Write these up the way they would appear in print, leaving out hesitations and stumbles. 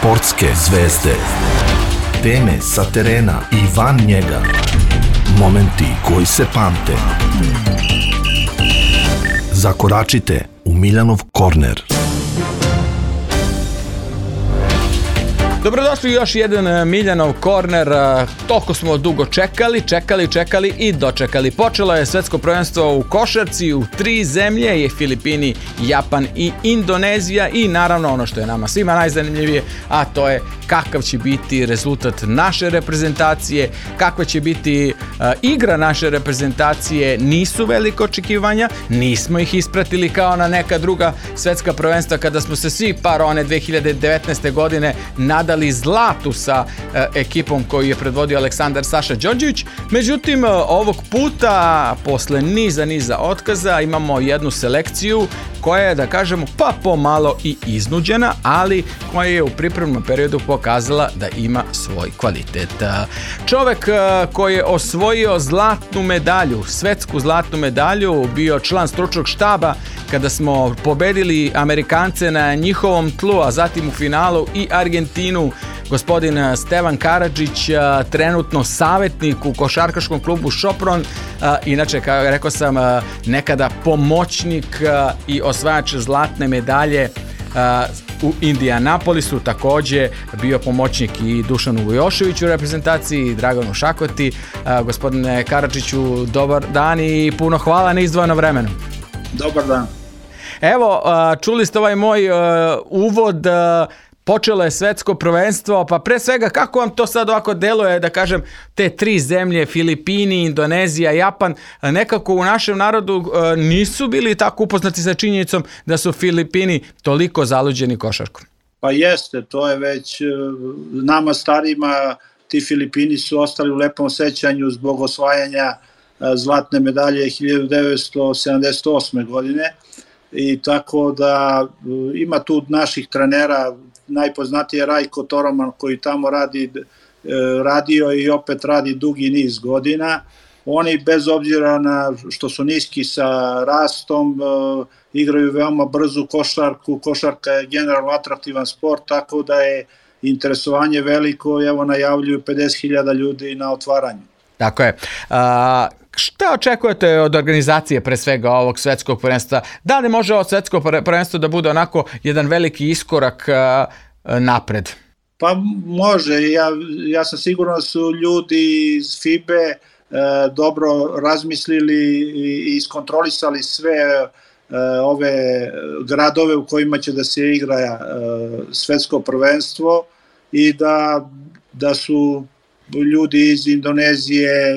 Sportske zvezde. Teme sa terena i van njega. Momenti koji se pamte. Zakoračite u Miljanov korner. Dobrodošli u još jedan Miljanov korner. Toliko smo dugo čekali i dočekali. Počelo je svetsko prvenstvo u košarci u 3 zemlje, je Filipini, Japan i Indonezija, i naravno ono što je nama svima najzanimljivije, a to je kakav će biti rezultat naše reprezentacije, kakva će biti igra naše reprezentacije. Nisu velike očekivanja, nismo ih ispratili kao na neka druga svetska prvenstva kada smo se svi one 2019. godine nadali zlatu sa ekipom koju je predvodio Aleksandar Saša Đorđević. Međutim, ovog puta posle niza otkaza imamo jednu selekciju koja je, da kažemo, pa pomalo i iznuđena, ali koja je u pripremnom periodu pokazala da ima svoj kvalitet. Čovek koji je osvojio zlatnu medalju, svetsku zlatnu medalju, bio član stručnog štaba kada smo pobedili Amerikance na njihovom tlu, a zatim u finalu i Argentinu, gospodin Stevan Karadžić, trenutno savjetnik u košarkaškom klubu Šopron, inače, kao rekao sam, nekada pomoćnik i osvajač zlatne medalje u Indianapolisu, također bio pomoćnik i Dušanu Vujoševiću u reprezentaciji, i Draganu Šakoti. Gospodine Karadžiću, dobar dan i puno hvala na izdvojenom vremenu. Dobar dan. Evo, čuli ste ovaj moj uvod. Počelo je svetsko prvenstvo, pa pre svega kako vam to sad ovako deluje, da kažem, te 3 zemlje, Filipini, Indonezija, Japan, nekako u našem narodu nisu bili tako upoznati sa činjenicom da su Filipini toliko zaluđeni košarkom? Pa jeste, to je već nama starima, ti Filipini su ostali u lepom sećanju zbog osvajanja zlatne medalje 1978. godine, i tako da ima tu naših trenera. Najpoznatiji je Rajko Toroman, koji tamo radio i opet radi dugi niz godina. Oni, bez obzira na što su niski sa rastom, igraju veoma brzu košarku. Košarka je generalno atraktivan sport, tako da je interesovanje veliko. Evo, najavljuju 50.000 ljudi na otvaranju. Tako je. Šta očekujete od organizacije pre svega ovog svetskog prvenstva? Da li može ovo svetsko prvenstvo da bude onako jedan veliki iskorak napred? Pa može. Ja sam siguran da su ljudi iz FIBE dobro razmislili i iskontrolisali sve ove gradove u kojima će da se igra svetsko prvenstvo, i da su ljudi iz Indonezije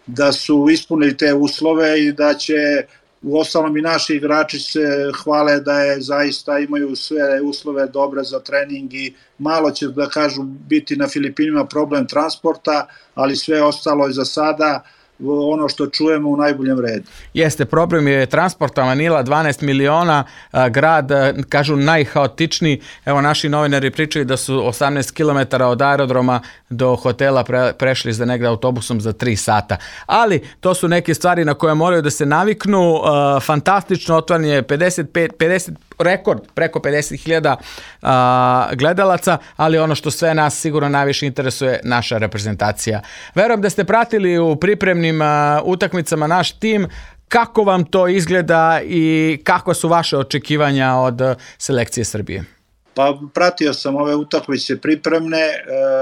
da su ispunili te uslove, i da će uostalom i naši igrači se hvale da je zaista imaju sve uslove dobre za trening, i malo će, da kažu, biti na Filipinima problem transporta, ali sve ostalo je za sada ono što čujemo u najboljem redu. Jeste, problem je transporta. Manila 12 miliona, grad, kažu, najhaotičniji. Evo, naši novinari pričaju da su 18 km od aerodroma do hotela prešli za negde autobusom za 3 sata. Ali to su neke stvari na koje moraju da se naviknu. Fantastično otvaranje, 50 rekord, preko 50.000 gledalaca, ali ono što sve nas sigurno najviše interesuje, naša reprezentacija. Verujem da ste pratili u pripremnim utakmicama naš tim. Kako vam to izgleda i kako su vaše očekivanja od selekcije Srbije? Pa pratio sam ove utakmice pripremne.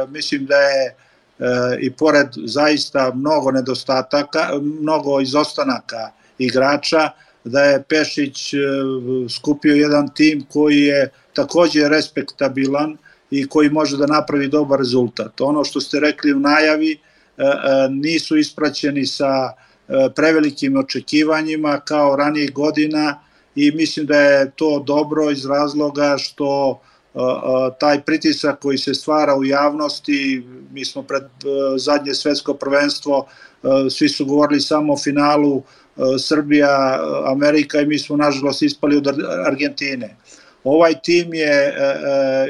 Mislim da je i pored zaista mnogo nedostataka, mnogo izostanaka igrača, da je Pešić skupio jedan tim koji je također respektabilan i koji može da napravi dobar rezultat. Ono što ste rekli u najavi, nisu ispraćeni sa prevelikim očekivanjima kao ranijih godina, i mislim da je to dobro iz razloga što taj pritisak koji se stvara u javnosti, mi smo pred zadnje svetsko prvenstvo, svi su govorili samo o finalu Srbija, Amerika, i mi smo nažalost ispali od Argentine. Ovaj tim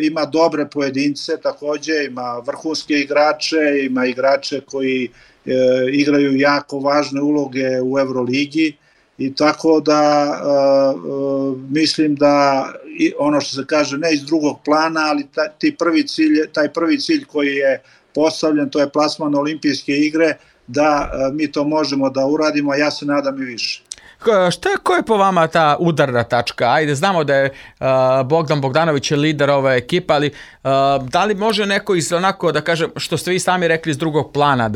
ima dobre pojedince, također ima vrhunske igrače, ima igrače koji igraju jako važne uloge u Euroligi, i tako da mislim da ono što se kaže ne iz drugog plana, ali taj prvi cilj koji je postavljen, to je plasman na olimpijske igre, da mi to možemo da uradimo, a ja se nadam i više. Ko je po vama ta udarna tačka? Ajde, znamo da je Bogdan Bogdanović je lider ove ekipe, ali da li može neko iz onako, da kažem, što ste vi sami rekli, iz drugog plana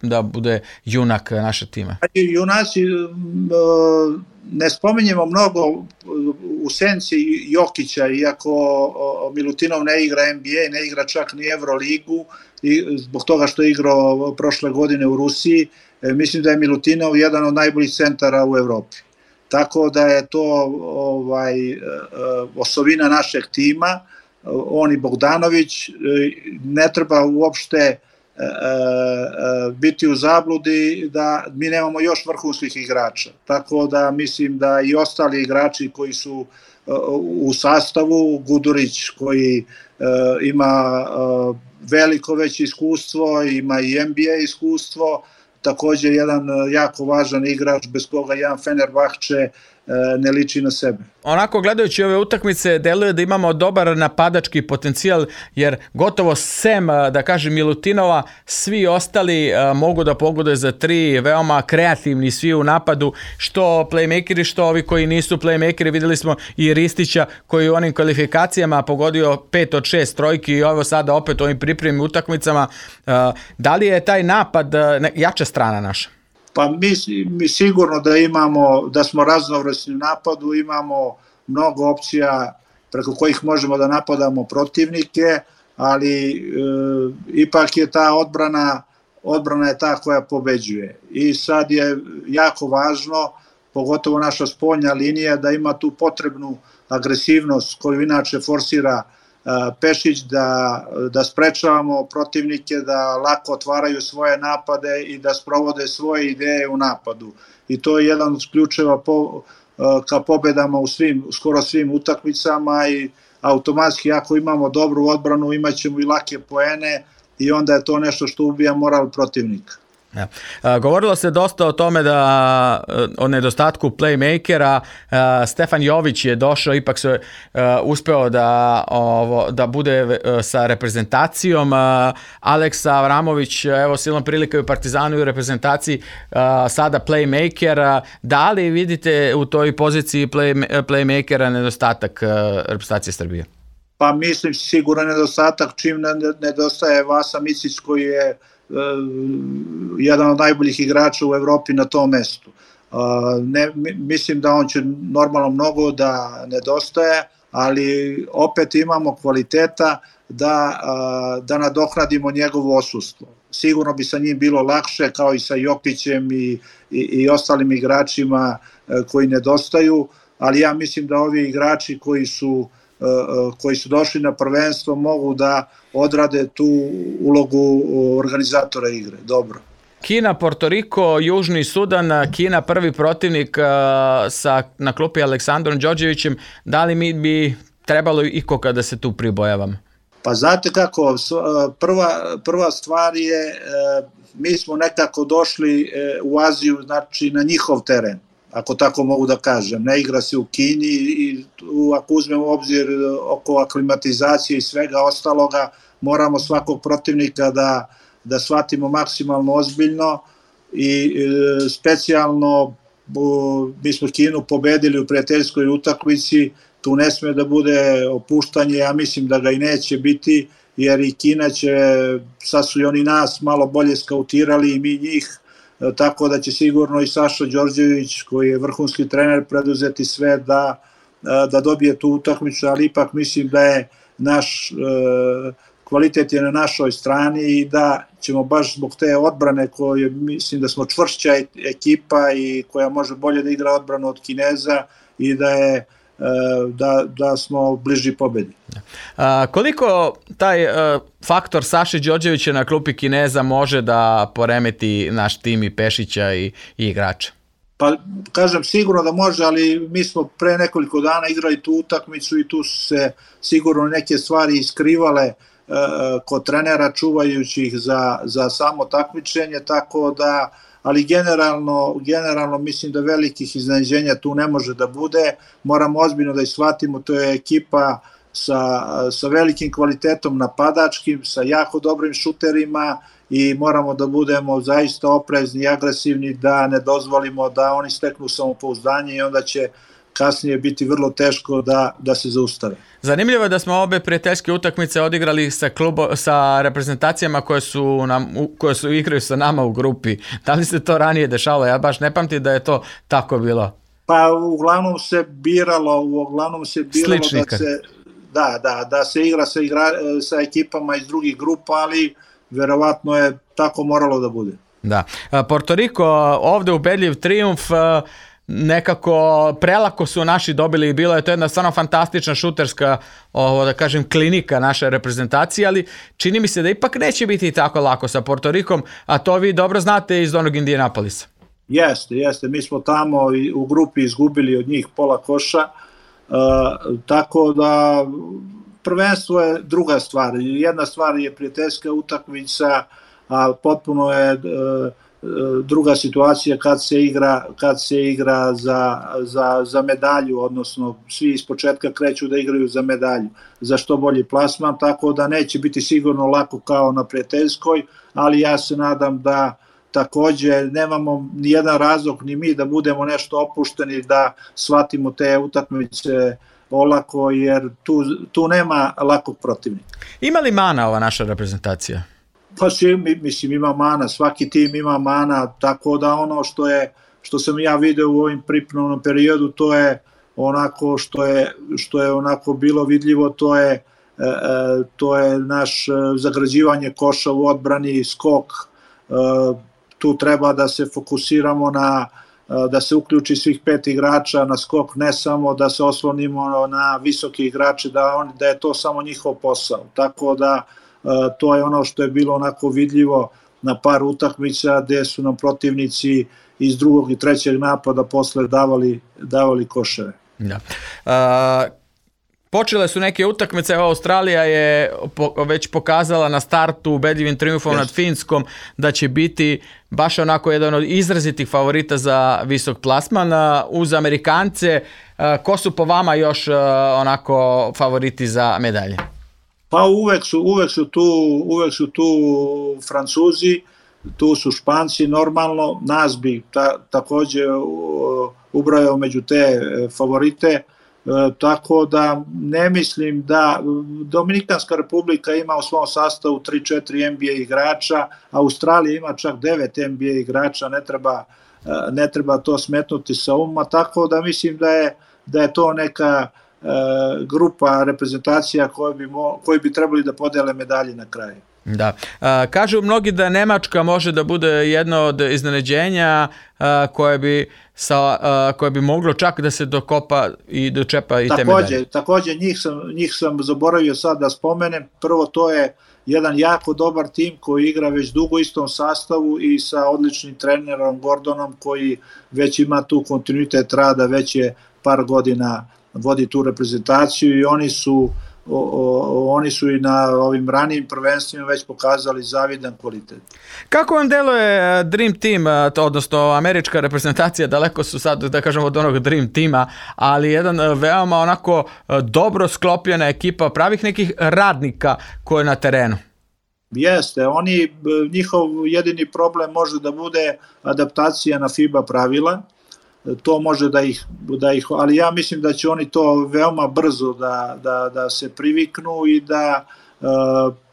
da bude junak naše tima? Junaci, ne spominjemo mnogo u senci Jokića, iako Milutinov ne igra NBA, ne igra čak ni Euroligu, i zbog toga što je igrao prošle godine u Rusiji. Mislim da je Milutinov jedan od najboljih centara u Evropi. Tako da je to osovina našeg tima, on i Bogdanović. Ne treba uopšte biti u zabludi da mi nemamo još vrhunskih igrača. Tako da mislim da i ostali igrači koji su u sastavu, Gudurić koji ima veliko već iskustvo, ima i NBA iskustvo, također jedan jako važan igrač bez koga jedan Fenerbahče ne liči na sebe. Onako gledajući ove utakmice deluje da imamo dobar napadački potencijal, jer gotovo sem, da kažem, Milutinova, svi ostali mogu da pogode za tri, veoma kreativni svi u napadu, što playmakeri, što ovi koji nisu playmakeri. Videli smo i Ristića koji u onim kvalifikacijama pogodio 5 od 6 trojki i ovo sada opet u ovim pripremnim utakmicama. Da li je taj napad jača strana naša? Pa mi sigurno da smo raznovrsni u napadu, imamo mnogo opcija preko kojih možemo da napadamo protivnike, ali ipak je ta odbrana je ta koja pobeđuje. I sad je jako važno, pogotovo naša spoljna linija, da ima tu potrebnu agresivnost koju inače forsira Pešić, da sprečavamo protivnike da lako otvaraju svoje napade i da sprovode svoje ideje u napadu. I to je jedan od ključeva ka pobedama u skoro svim utakmicama i automatski ako imamo dobru odbranu imat ćemo i lake poene i onda je to nešto što ubija moral protivnika. Ja. Govorilo se dosta o tome o nedostatku playmakera. Stefan Jović je došao, ipak se uspeo da bude sa reprezentacijom. Aleksa Avramović, evo silom prilika u Partizanu i u reprezentaciji, sada playmaker. Da li vidite u toj poziciji playmakera nedostatak reprezentacije Srbije? Pa mislim siguran nedostatak, čim nedostaje Vasa Micić koji je jedan od najboljih igrača u Evropi na tom mestu. Mislim da on će normalno mnogo da nedostaje, ali opet imamo kvaliteta da nadoknadimo njegovo odsustvo. Sigurno bi sa njim bilo lakše, kao i sa Jokićem i ostalim igračima koji nedostaju, ali ja mislim da ovi igrači koji su došli na prvenstvo mogu da odrade tu ulogu organizatora igre. Dobro. Kina, Porto Riko, Južni Sudan, Kina prvi protivnik na klupi Aleksandrom Đorđevićem. Da li mi bi trebalo ikoga da se tu pribojavamo? Pa znate kako, prva stvar je, mi smo nekako došli u Aziju, znači na njihov teren, ako tako mogu da kažem. Ne igra se u Kini i ako uzmemo u obzir oko aklimatizacije i svega ostaloga, moramo svakog protivnika da shvatimo maksimalno ozbiljno i specijalno mi smo Kinu pobedili u prijateljskoj utakmici, tu ne sme da bude opuštanje, ja mislim da ga i neće biti, jer i Kina će, sad su i oni nas malo bolje skautirali i mi njih, tako da će sigurno i Saša Đorđević, koji je vrhunski trener, preduzeti sve da dobije tu utakmicu, ali ipak mislim da je naš kvalitet je na našoj strani i da ćemo baš zbog te odbrane koje mislim da smo čvršća ekipa i koja može bolje da igra odbranu od Kineza i da smo bliži pobedi. Koliko taj faktor Saše Đorđevića na klupi Kineza može da poremeti naš tim i Pešića i igrača? Pa kažem sigurno da može, ali mi smo pre nekoliko dana igrali tu utakmicu i tu su se sigurno neke stvari iskrivale kod trenera čuvajući ih za samo takmičenje, tako da ali generalno mislim da velikih iznenađenja tu ne može da bude. Moramo ozbiljno da ih shvatimo, to je ekipa sa velikim kvalitetom napadačkim, sa jako dobrim šuterima i moramo da budemo zaista oprezni i agresivni, da ne dozvolimo da oni steknu samopouzdanje i onda će kasnije biti vrlo teško da se zaustave. Zanimljivo je da smo obe prijateljske utakmice odigrali sa reprezentacijama koje su igraju sa nama u grupi. Da li se to ranije dešavalo? Ja baš ne pamtim da je to tako bilo. Pa uglavnom se biralo Sličnika. da se igra sa ekipama iz drugih grupa, ali verovatno je tako moralo da bude. Da. Porto Riko ovde ubedljiv trijumf, nekako prelako su naši dobili i bilo je to jedna stvarno fantastična šuterska da kažem klinika naše reprezentacije, ali čini mi se da ipak neće biti tako lako sa Porto Rikom, a to vi dobro znate iz onog Indianapolisa. Jeste, mi smo tamo u grupi izgubili od njih pola koša, tako da prvenstvo je druga stvar. Jedna stvar je prijateljska utakmica, a potpuno je druga situacija kad se igra za medalju, odnosno svi iz početka kreću da igraju za medalju, za što bolji plasman, tako da neće biti sigurno lako kao na prijateljskoj, ali ja se nadam da takođe nemamo ni jedan razlog ni mi da budemo nešto opušteni, da shvatimo te utakmice olako, jer tu nema lakog protivnika. Ima li mana ova naša reprezentacija? Pa mislim ima mana, svaki tim ima mana, tako da ono što sam ja video u ovim pripremnom periodu, to je onako što je onako bilo vidljivo, to je naš zagrađivanje koša u odbrani, skok, tu treba da se fokusiramo da se uključi svih 5 igrača na skok, ne samo da se oslonimo na visoke igrače, da je to samo njihov posao. Tako da to je ono što je bilo onako vidljivo na par utakmica gde su nam protivnici iz drugog i trećeg napada posle davali koševe. Da. Počele su neke utakmice, Australija je već pokazala na startu ubedljivim trijumfom nad Finskom da će biti baš onako jedan od izrazitih favorita za visok plasman. Uz Amerikance, ko su po vama još onako favoriti za medalje? Pa uvek su tu Francuzi, tu su Španci, normalno, nas bi takođe ubrojao među te favorite, tako da ne mislim da Dominikanska republika ima u svom sastavu 3-4 NBA igrača, Australija ima čak 9 NBA igrača, ne treba to smetnuti sa uma, tako da mislim da je to neka grupa reprezentacija koji bi trebali da podele medalje na kraju. Da. Kažu mnogi da Nemačka može da bude jedno od iznenađenja koje bi moglo čak da se dokopa i dočepa i te medalje. Takođe, njih sam zaboravio sad da spomenem. Prvo, to je jedan jako dobar tim koji igra već dugo u istom sastavu i sa odličnim trenerom Gordonom koji već ima tu kontinuitet rada, već je par godina vodi tu reprezentaciju i oni su i na ovim ranijim prvenstvima već pokazali zavidan kvalitet. Kako vam deluje Dream Team, odnosno američka reprezentacija, daleko su sad, da kažemo, od onog Dream Teama, ali jedan veoma onako dobro sklopljena ekipa pravih nekih radnika koji je na terenu? Jeste, njihov jedini problem može da bude adaptacija na FIBA pravila, to može da ih, ali ja mislim da će oni to veoma brzo da se priviknu i da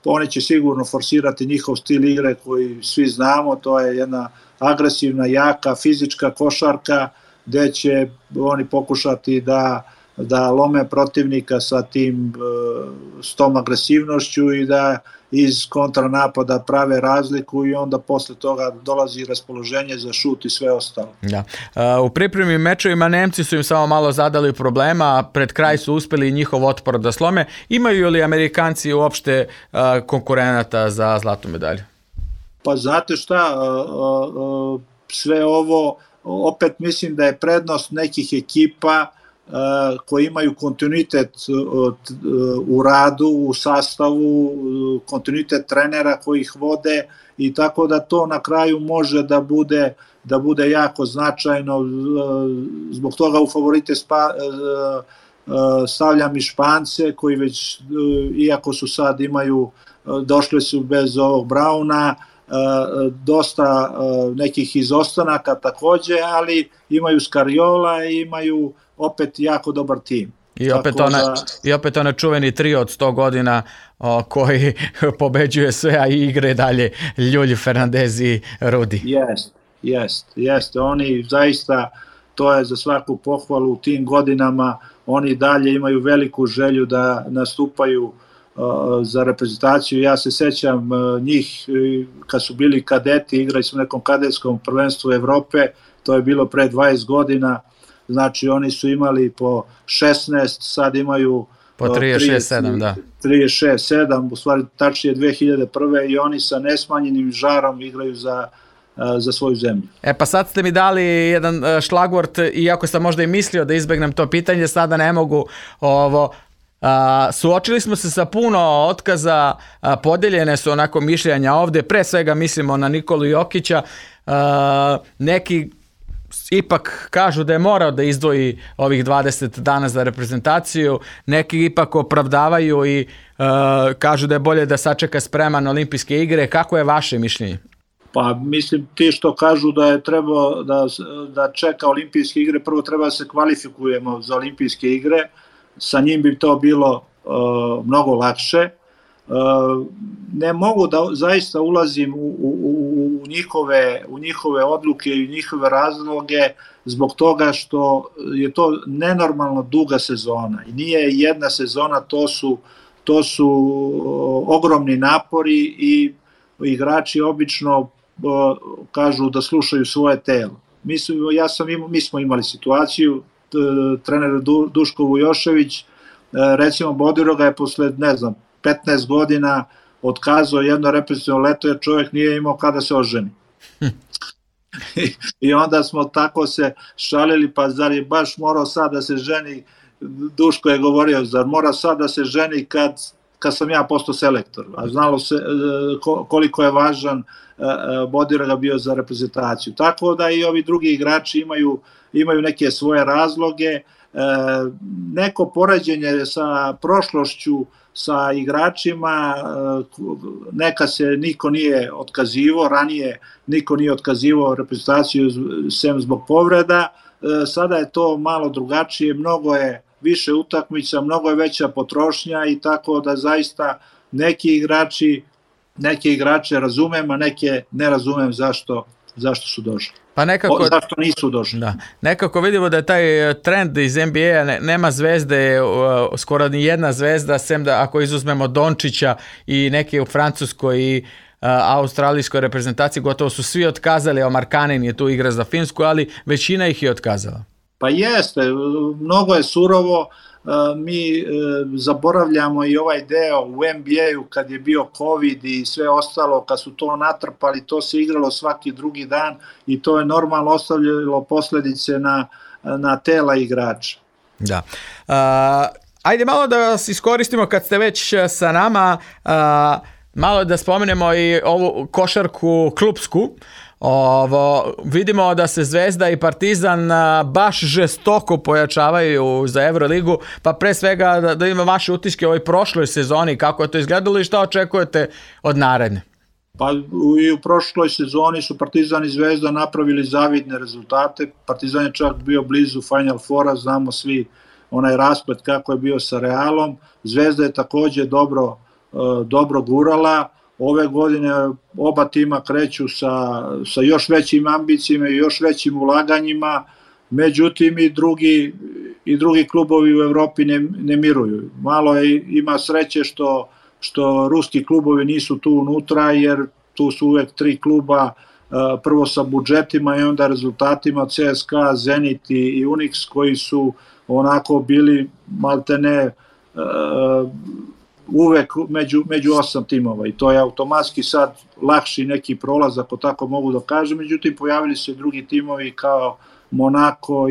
oni će sigurno forsirati njihov stil igre koji svi znamo, to je jedna agresivna, jaka, fizička košarka gde će oni pokušati da lome protivnika s tom agresivnošću i da iz kontranapada prave razliku i onda posle toga dolazi raspoloženje za šut i sve ostalo. Da. U pripremnim mečevima Nemci su im samo malo zadali problema, pred kraj su uspeli njihov otpor da slome. Imaju li Amerikanci uopšte konkurenata za zlatnu medalju? Pa znate šta, sve ovo, opet mislim da je prednost nekih ekipa koji imaju kontinuitet u radu, u sastavu, kontinuitet trenera koji ih vode i tako da to na kraju može da bude jako značajno. Zbog toga u favorite stavljam i Špance koji već, iako su sad došli su bez ovog Brauna, dosta nekih izostanaka takođe, ali imaju Skariola i imaju opet jako dobar tim. I opet onaj čuveni trio od 100 godina koji pobeđuje sve, a igre dalje Ljulj, Fernandez i Rudi. Jeste. Oni zaista, to je za svaku pohvalu u tim godinama, oni dalje imaju veliku želju da nastupaju za reprezentaciju. Ja se sećam njih kad su bili kadeti, igrali su u nekom kadetskom prvenstvu Evrope, to je bilo pre 20 godina, znači oni su imali po 16, sad imaju po 36-7, da. 36-7, u stvari tačnije 2001. i oni sa nesmanjenim žarom igraju za svoju zemlju. Pa sad ste mi dali jedan šlagvort, iako sam možda i mislio da izbegnem to pitanje, sada ne mogu suočili smo se sa puno otkaza, podeljene su onako mišljenja ovde, pre svega mislimo na Nikolu Jokića, neki ipak kažu da je morao da izdvoji ovih 20 dana za reprezentaciju, neki ipak opravdavaju i kažu da je bolje da sačeka spreman olimpijske igre. Kako je vaše mišljenje? Pa mislim, ti što kažu da je trebao da čeka olimpijske igre, prvo treba da se kvalifikujemo za olimpijske igre, sa njim bi to bilo mnogo lakše. Ne mogu da zaista ulazim u njihove odluke i njihove razloge zbog toga što je to nenormalno duga sezona i nije jedna sezona, to su ogromni napori i igrači obično kažu da slušaju svoje telo. Mi smo imali situaciju, trener Duško Vujošević, recimo Bodiroga je posle, 15 godina otkazao jedno reprezentativno leto jer čovjek nije imao kada se oženi. I onda smo tako se šalili, pa zar je baš morao sad da se ženi, Duško je govorio, zar mora sad da se ženi kad sam ja postao selektor, a znalo se koliko je važan Bodiroga bio za reprezentaciju. Tako da i ovi drugi igrači imaju neke svoje razloge, neko poređenje sa prošlošću, sa igračima, neka se niko nije otkazivao, ranije niko nije otkazivao reprezentaciju sem zbog povreda, sada je to malo drugačije, mnogo je više utakmica, mnogo je veća potrošnja i tako da zaista neke igrače razumem, a neke ne razumem zašto su došli. Pa nekako, zašto nisu došli? Da. Nekako vidimo da je taj trend iz NBA-a, nema zvezde, skoro ni jedna zvezda, sem da ako izuzmemo Dončića i neke u Francuskoj i australijskoj reprezentaciji, gotovo su svi otkazali, a Markkanen je tu igra za Finsku, ali većina ih je otkazala. Pa jeste, mnogo je surovo, mi zaboravljamo i ovaj deo u NBA-u kad je bio COVID i sve ostalo, kad su to natrpali, to se igralo svaki drugi dan i to je normalno ostavljalo posledice na tela igrača. Da. Ajde malo da vas iskoristimo kad ste već sa nama, malo da spomenemo i ovu košarku klupsku. Vidimo da se Zvezda i Partizan baš žestoko pojačavaju za Euroligu, pa pre svega da ima vaše utiske o ovoj prošloj sezoni, kako je to izgledalo i šta očekujete od naredne? Pa i u prošloj sezoni su Partizan i Zvezda napravili zavidne rezultate, Partizan je čak bio blizu Final Fora, znamo svi onaj rasplet kako je bio sa Realom, Zvezda je takođe dobro gurala. Ove godine oba tima kreću sa još većim ambicijama i još većim ulaganjima, međutim i drugi klubovi u Evropi ne miruju. Malo ima sreće što ruski klubovi nisu tu unutra, jer tu su uvek 3 kluba, prvo sa budžetima i onda rezultatima, CSKA, Zenit i Unix, koji su onako bili maltene uvek među 8 timova i to je automatski sad lakši neki prolaz, ako tako mogu da kažem, međutim pojavili se drugi timovi kao Monako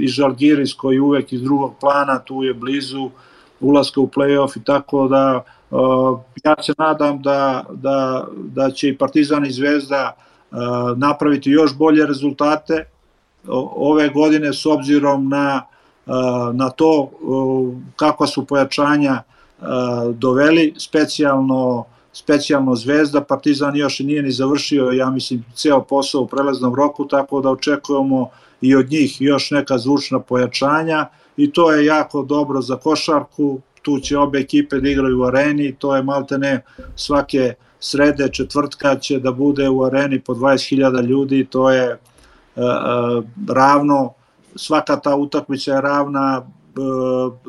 i Žalgiris koji uvek iz drugog plana, tu je blizu ulaska u play-off, i tako da ja se nadam da će i Partizan i Zvezda napraviti još bolje rezultate ove godine s obzirom na to kakva su pojačanja doveli, specijalno Zvezda. Partizan još nije ni završio, ja mislim, ceo posao u prelaznom roku, tako da očekujemo i od njih još neka zvučna pojačanja, i to je jako dobro za košarku. Tu će obe ekipe da igraju u areni, to je maltene svake srede, četvrtka će da bude u areni po 20.000 ljudi, to je ravno, svaka ta utakmica je ravna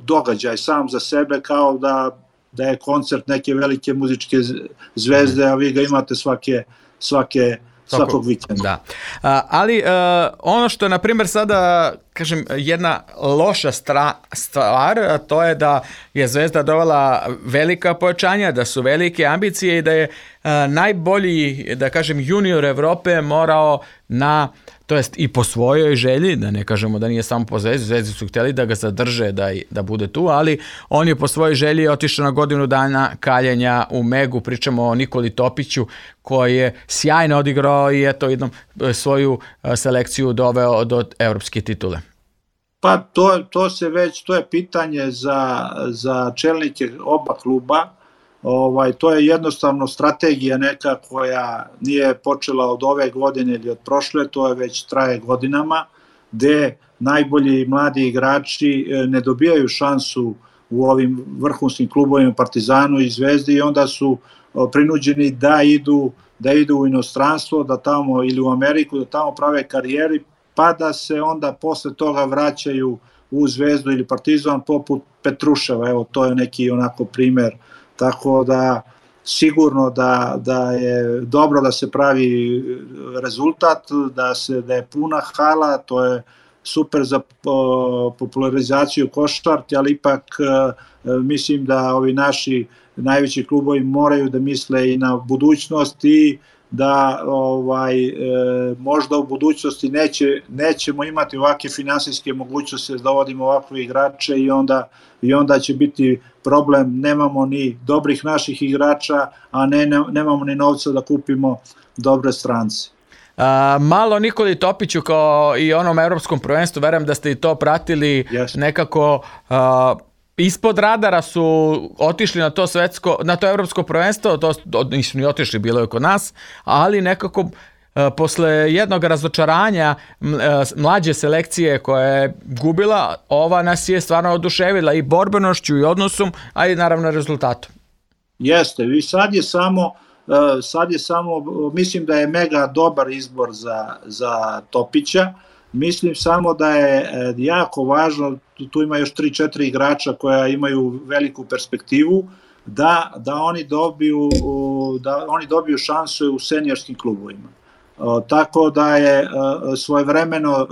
događaj sam za sebe, kao da je koncert neke velike muzičke zvezde, a vi ga imate svakog vikenda. Da. Ali ono što je, na primjer, sada, kažem, jedna loša stvar, to je da je Zvezda dovela velika pojačanja, da su velike ambicije i da je najbolji, da kažem, junior Evrope morao to jest i po svojoj želji, da ne kažemo da nije samo po Zvezdi, Zvezdi su htjeli da ga zadrže, da bude tu, ali on je po svojoj želji otišao na godinu dana kaljenja u Megu. Pričamo o Nikoli Topiću koji je sjajno odigrao i eto jednom svoju selekciju doveo do evropske titule. Pa to je pitanje za čelnike oba kluba. To je jednostavno strategija neka koja nije počela od ove godine ili od prošle, to je već traje godinama, gde najbolji mladi igrači ne dobijaju šansu u ovim vrhunskim klubovima, Partizanu i Zvezdi, i onda su prinuđeni da idu u inostranstvo, da tamo, ili u Ameriku, da tamo prave karijeri, pa da se onda posle toga vraćaju u Zvezdu ili Partizan, poput Petruševa. Evo, to je neki onako primer. Tako da sigurno da je dobro da se pravi rezultat, da je puna hala, to je super za popularizaciju košarke, ali ipak mislim da ovi naši najveći klubovi moraju da misle i na budućnost, i da možda u budućnosti nećemo imati ovakve finansijske mogućnosti da dovodimo ovakve igrače, i onda će biti problem, nemamo ni dobrih naših igrača, a nemamo ni novca da kupimo dobre strance. Malo Nikoli Topiću, kao i onom evropskom prvenstvu, verujem da ste i to pratili. Yes. Nekako ispod radara su otišli na to evropsko prvenstvo, nisu ni otišli, bilo je kod nas, ali nekako posle jednog razočaranja mlađe selekcije koja je gubila, ova nas je stvarno oduševila i borbenošću i odnosom, a i naravno rezultatom. Jeste, i sad je samo, mislim da je mega dobar izbor za Topića. Mislim samo da je jako važno, tu ima još 3-4 igrača koja imaju veliku perspektivu, da oni dobiju šansu u seniorskim klubovima. Tako da je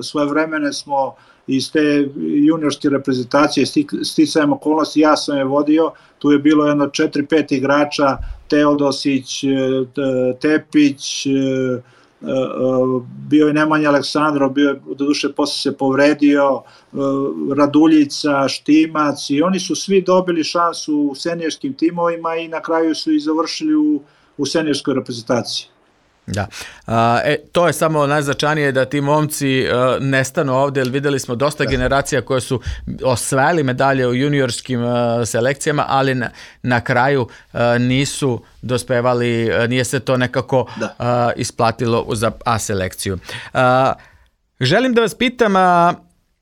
svojevremeno smo iz te juniorske reprezentacije sticajem okolnosti, ja sam je vodio, tu je bilo jedno 4-5 igrača, Teodosić, Tepić, bio je Nemanja Aleksandrov, doduše posle se povredio, Raduljica, Štimac, i oni su svi dobili šansu u seniorskim timovima i na kraju su i završili u seniorskoj reprezentaciji. Da, to je samo najznačajnije, da ti momci nestanu ovde, jer videli smo dosta generacija koje su osvajali medalje u juniorskim selekcijama, ali na kraju nisu dospevali, nije se to nekako isplatilo za A selekciju. Želim da vas pitam,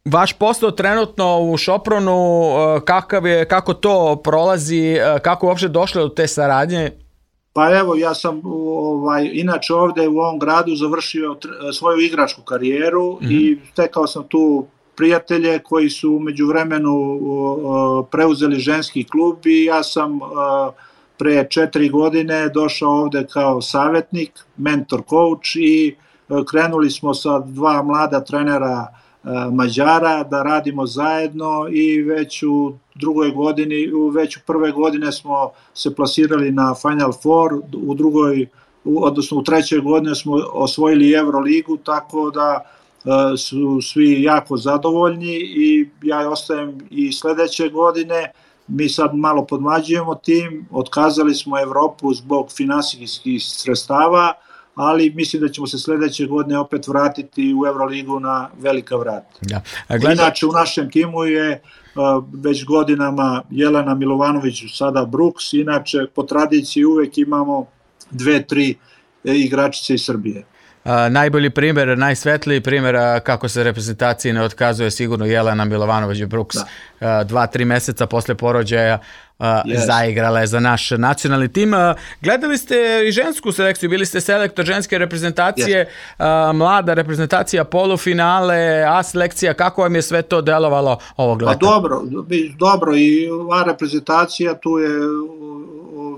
vaš posao trenutno u Šopronu, kako to prolazi, kako uopšte došlo do te saradnje? Pa evo, ja sam inače ovde u ovom gradu završio svoju igračku karijeru i stekao sam tu prijatelje koji su u međuvremenu preuzeli ženski klub, i ja sam pre 4 godine došao ovde kao savjetnik, mentor, coach, i krenuli smo sa 2 mlada trenera Mađara da radimo zajedno, i već u drugoj godini, već u prve godine smo se plasirali na Final Four, u trećoj godini smo osvojili Euroligu, tako da su svi jako zadovoljni i ja ostajem i sledeće godine. Mi sad malo podmlađujemo tim, otkazali smo Evropu zbog finansijskih sredstava, ali mislim da ćemo se sledeće godine opet vratiti u Euroligu na velika vrata. Da. Inače u našem timu je već godinama Jelena Milovanović, sada Brooks, inače po tradiciji uvek imamo 2-3 igračice iz Srbije. Najbolji primjer, najsvetliji primjer kako se reprezentaciji ne otkazuje sigurno Jelena Milovanović Brooks. 2-3 meseca posle porođaja zaigrala je za naš nacionalni tim. Gledali ste i žensku selekciju, bili ste selektor ženske reprezentacije, mlada reprezentacija, polufinale, A selekcija, kako vam je sve to delovalo ovog leta? Pa dobro i A reprezentacija, tu je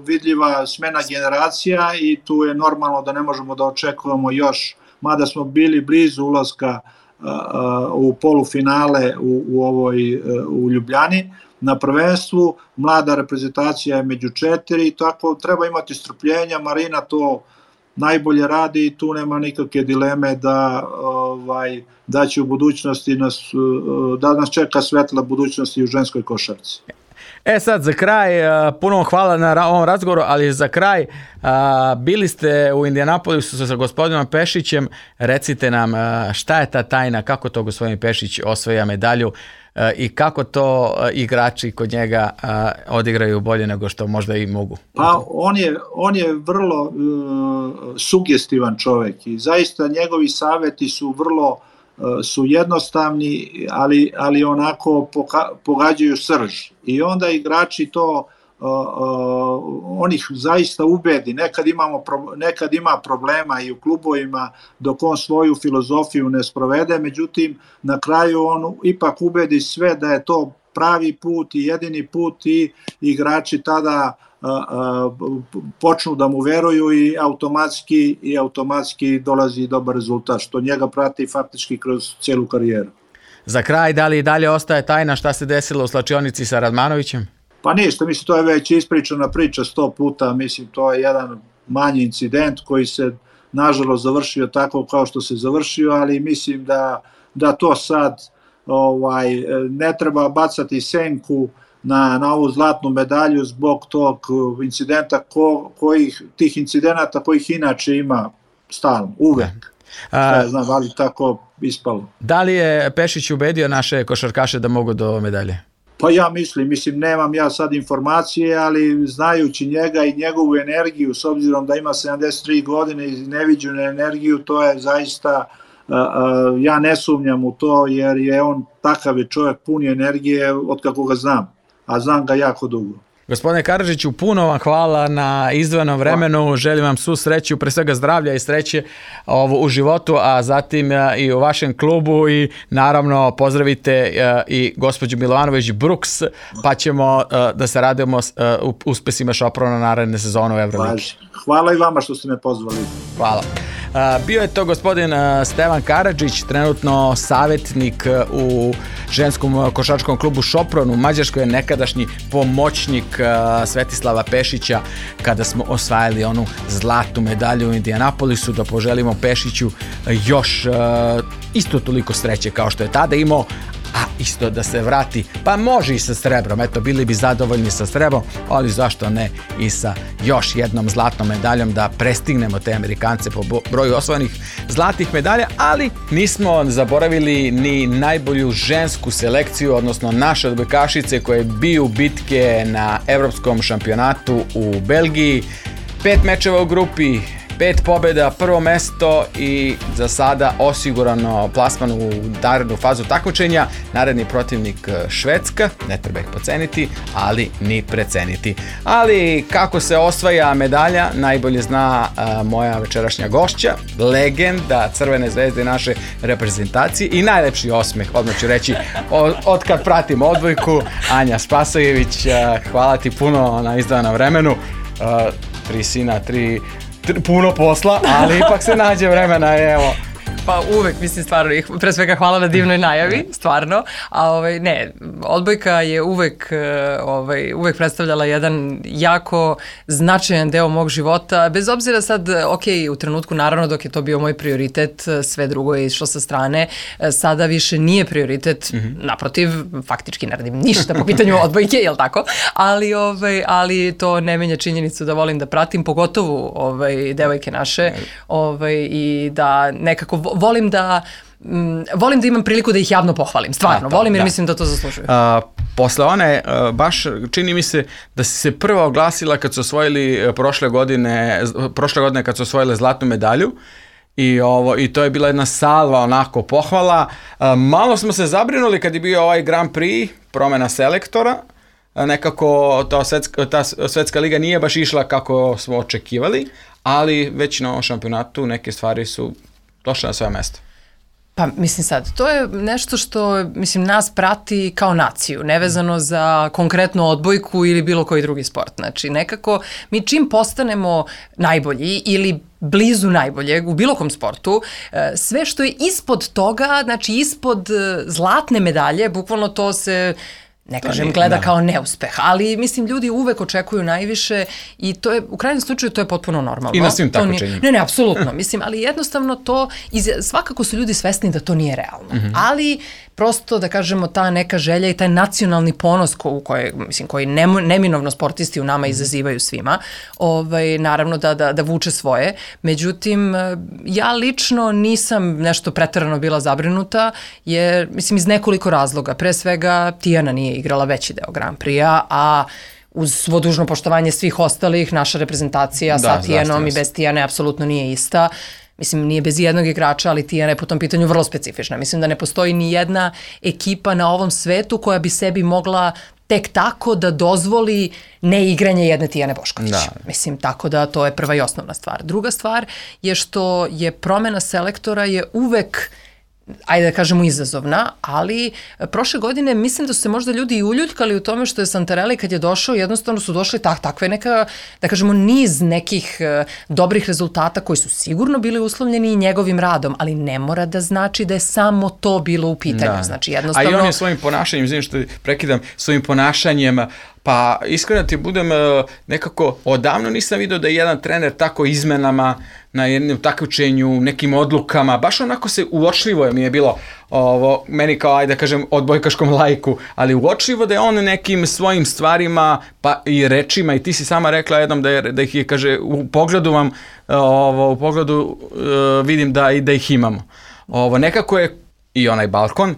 vidljiva smena generacija i tu je normalno da ne možemo da očekujemo još, mada smo bili blizu ulaska u polufinale u Ljubljani na prvenstvu. Mlada reprezentacija je među 4 i tako treba imati strpljenja. Marina to najbolje radi i tu nema nikakve dileme da će u budućnosti da nas čeka svetla budućnost i u ženskoj košarci. Sad za kraj, puno hvala na ovom razgovoru, ali za kraj, bili ste u Indianapolisu sa gospodinom Pešićem, recite nam šta je ta tajna, kako to gospodin Pešić osvaja medalju i kako to igrači kod njega odigraju bolje nego što možda i mogu? Pa on je vrlo sugestivan čovjek i zaista njegovi savjeti su jednostavni, ali onako pogađaju srž. I onda igrači to, on ih zaista ubedi. Nekad ima problema i u klubovima dok on svoju filozofiju ne sprovede, međutim na kraju on ipak ubedi sve da je to pravi put i jedini put i igrači tada počnu da mu veruju i automatski dolazi dobar rezultat, što njega prati faktički kroz cijelu karijeru. Za kraj, da li i dalje ostaje tajna šta se desilo u slačionici sa Radmanovićem? Pa ništa, mislim, to je već ispričana priča 100 puta, mislim, to je jedan manji incident koji se nažalost završio tako kao što se završio, ali mislim da to sad ne treba bacati senku na ovu zlatnu medalju zbog tog incidenta, tih incidenata kojih inače ima stalno, uvek. Znam, ali tako ispalo. Da li je Pešić ubedio naše košarkaše da mogu do medalje? Pa ja mislim, nemam ja sad informacije, ali znajući njega i njegovu energiju, s obzirom da ima 73 godine i neviđenu energiju, to je zaista, ja ne sumnjam u to, jer je on takav je čovjek puni energije od kako ga znam, a znam ga jako dugo. Gospodine Karadžiću, puno vam hvala na izdvojenom vremenu, želim vam svu sreću, pre svega zdravlja i sreće u životu, a zatim i u vašem klubu i naravno pozdravite i gospođu Milovanović Brooks, pa ćemo da se radimo uspesima Šoprona naredne sezone u Euroligi. Hvala i vama što ste me pozvali. Hvala. Bio je to gospodin Stevan Karadžić, trenutno savjetnik u ženskom košarkaškom klubu Šopron u Mađarskoj, je nekadašnji pomoćnik Svetislava Pešića kada smo osvajali onu zlatnu medalju u Indianapolisu. Da poželimo Pešiću još isto toliko sreće kao što je tada imao, a isto da se vrati, pa može i sa srebrom, eto, bili bi zadovoljni sa srebrom, ali zašto ne i sa još jednom zlatnom medaljom, da prestignemo te Amerikance po broju osvojenih zlatih medalja, ali nismo zaboravili ni najbolju žensku selekciju, odnosno naše odbojkašice koje biju bitke na evropskom šampionatu u Belgiji. 5 mečeva u grupi, 5 pobjeda, prvo mesto i za sada osigurano plasman u narednu fazu takmičenja. Naredni protivnik Švedska, ne treba ih poceniti, ali ni preceniti. Ali kako se osvaja medalja, najbolje zna moja večerašnja gošća, legenda Crvene zvezde naše reprezentacije i najlepši osmeh, odmah ću reći, od kad pratim odbojku, Anja Spasojević. Hvala ti puno na izdvajanom vremenu. 3 sina, 3 puno posla, ali ipak se nađe vremena, evo. Pa uvek, mislim, stvarno, pre svega hvala na divnoj najavi, stvarno, a ne, odbojka je uvek predstavljala jedan jako značajan deo mog života, bez obzira sad, u trenutku, naravno, dok je to bio moj prioritet, sve drugo je išlo sa strane, sada više nije prioritet, naprotiv, faktički ne radim ništa po pitanju odbojke, jel tako? Ali to ne menja činjenicu da volim da pratim, pogotovo devojke naše, i da nekako volim da imam priliku da ih javno pohvalim, stvarno, volim jer mislim da to zaslužuju. Posle one, baš čini mi se da si se prva oglasila kad su osvojili prošle godine kad su osvojile zlatnu medalju, i to je bila jedna salva onako pohvala. Malo smo se zabrinuli kad je bio ovaj Grand Prix, promena selektora, nekako ta svetska liga nije baš išla kako smo očekivali, ali već na ovom šampionatu neke stvari su došle na svoje mesto. Pa mislim sad, to je nešto što nas prati kao naciju, nevezano za konkretnu odbojku ili bilo koji drugi sport. Znači nekako mi čim postanemo najbolji ili blizu najboljeg u bilo kom sportu, sve što je ispod toga, znači ispod zlatne medalje, bukvalno to se... Ne kažem, gleda kao neuspeh, ali mislim ljudi uvek očekuju najviše i to je, u krajnjem slučaju, to je potpuno normalno. I na svim takmičenjima. Ne, apsolutno, ali jednostavno to, svakako su ljudi svesni da to nije realno, ali prosto da kažemo ta neka želja i taj nacionalni ponos koji neminovno sportisti u nama izazivaju svima, naravno da vuče svoje. Međutim, ja lično nisam nešto preterano bila zabrinuta, jer iz nekoliko razloga. Pre svega, Tijana nije igrala veći deo Grand Prix-a, a uz svo dužno poštovanje svih ostalih, naša reprezentacija sa Tijanom i bez Tijane apsolutno nije ista. Nije bez jednog igrača, ali Tijana je po tom pitanju vrlo specifična. Mislim da ne postoji ni jedna ekipa na ovom svetu koja bi sebi mogla tek tako da dozvoli neigranje jedne Tijane Bošković. Tako da to je prva i osnovna stvar. Druga stvar je što je promena selektora je uvek, ajde da kažemo, izazovna, ali prošle godine mislim da su se možda ljudi i uljuljkali u tome što je Santarelli kad je došao, jednostavno su došli takve neka, da kažemo, niz nekih dobrih rezultata koji su sigurno bili uslovljeni i njegovim radom, ali ne mora da znači da je samo to bilo u pitanju. Znači, jednostavno... A i on je svojim ponašanjem, izvinim što prekidam, svojim ponašanjem, pa iskreno ti budem, nekako odavno nisam vidio da je jedan trener tako izmenama na jednom takmičenju, nekim odlukama, baš onako se uočljivo mi je bilo, meni kao, ajde da kažem, odbojkaškom laiku, ali uočljivo da je on nekim svojim stvarima, pa i rečima, i ti si sama rekla jednom da ih je, kaže, u pogledu vidim da ih imamo. Nekako je i onaj balkon,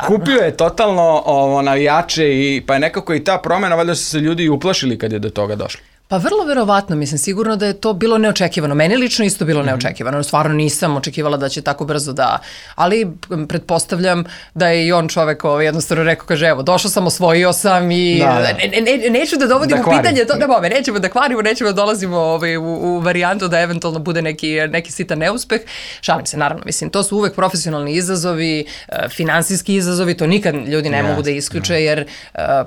kupio je totalno navijače, pa je nekako i ta promjena, valjda su se ljudi uplašili kad je do toga došlo. Pa vrlo verovatno, sigurno da je to bilo neočekivano. Meni lično isto bilo neočekivano. Stvarno nisam očekivala da će tako brzo ali pretpostavljam da je i on čovek jednostavno rekao, kaže, evo, došao sam, osvojio sam i neću da dovodim u pitanje to, nećemo da kvarimo, nećemo da dolazimo u varijantu da eventualno bude neki sitan neuspeh. Šalim se, naravno, to su uvek profesionalni izazovi, finansijski izazovi, to nikad ljudi ne mogu da isključe, jer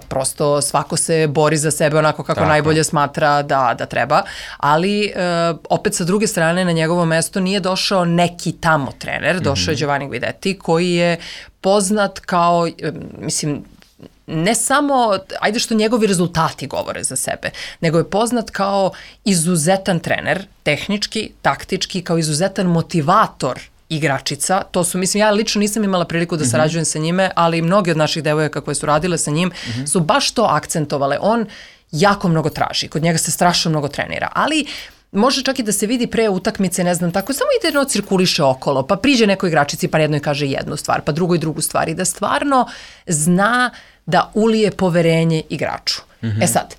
prosto svako se bori za sebe onako kako najbolje smatra da treba, ali opet sa druge strane na njegovo mesto nije došao neki tamo trener, došao je Giovanni Guidetti koji je poznat kao, ne samo, ajde što njegovi rezultati govore za sebe, nego je poznat kao izuzetan trener, tehnički, taktički, kao izuzetan motivator igračica. To su, ja lično nisam imala priliku da sarađujem sa njime, ali mnogi od naših devojaka koje su radile sa njim su baš to akcentovale. On jako mnogo traži, kod njega se strašno mnogo trenira, ali može čak i da se vidi pre utakmice, ne znam, tako, samo ide cirkuliše okolo, pa priđe nekoj igračici, pa jednoj kaže jednu stvar, pa drugoj drugu stvar, i da stvarno zna da ulije poverenje igraču. Sad,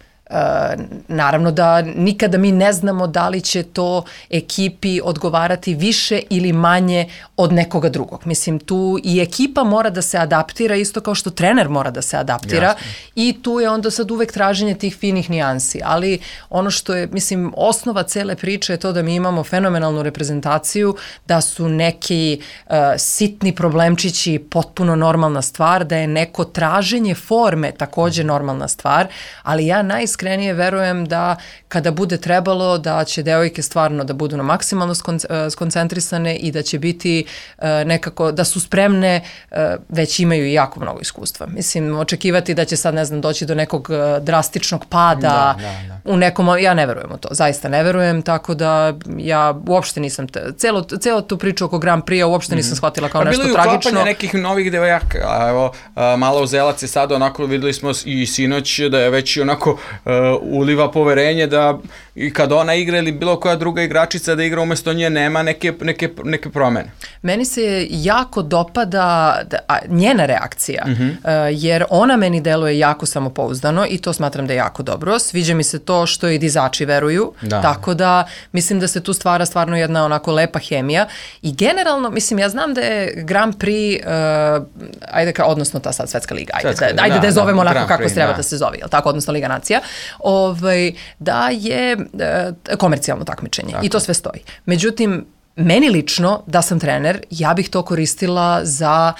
naravno da nikada mi ne znamo da li će to ekipi odgovarati više ili manje od nekoga drugog. Tu i ekipa mora da se adaptira isto kao što trener mora da se adaptira. I tu je onda sad uvek traženje tih finih nijansi, ali ono što je, osnova cele priče je to da mi imamo fenomenalnu reprezentaciju, da su neki sitni problemčići potpuno normalna stvar, da je neko traženje forme takođe normalna stvar, ali ja najiskreno najiskrenije verujem da kada bude trebalo da će devojke stvarno da budu na maksimalno skoncentrisane i da će biti nekako, da su spremne, već imaju i jako mnogo iskustva. Mislim, očekivati da će sad, ne znam, doći do nekog drastičnog pada u nekom, ja ne verujem u to, zaista ne verujem, tako da ja uopšte nisam, celo tu priču oko Grand Prix uopšte nisam shvatila kao nešto tragično. Bilo je uklapanje nekih novih devojaka, evo, Malo Uzelac je sad onako, videli smo i sinoć da je već onako uliva poverenje da i kad ona igra ili bilo koja druga igračica da igra umesto nje nema neke promene. Meni se jako dopada njena reakcija, jer ona meni deluje jako samopouzdano i to smatram da je jako dobro. Sviđa mi se to što i dizači veruju, tako da mislim da se tu stvara stvarno jedna onako lepa hemija i generalno, mislim, ja znam da je Grand Prix, odnosno ta sad svetska liga, ajde da je zovemo onako kako treba da se zove, jel tako, odnosno Liga nacija, da je komercijalno takmičenje i to sve stoji. Međutim, meni lično, da sam trener, ja bih to koristila za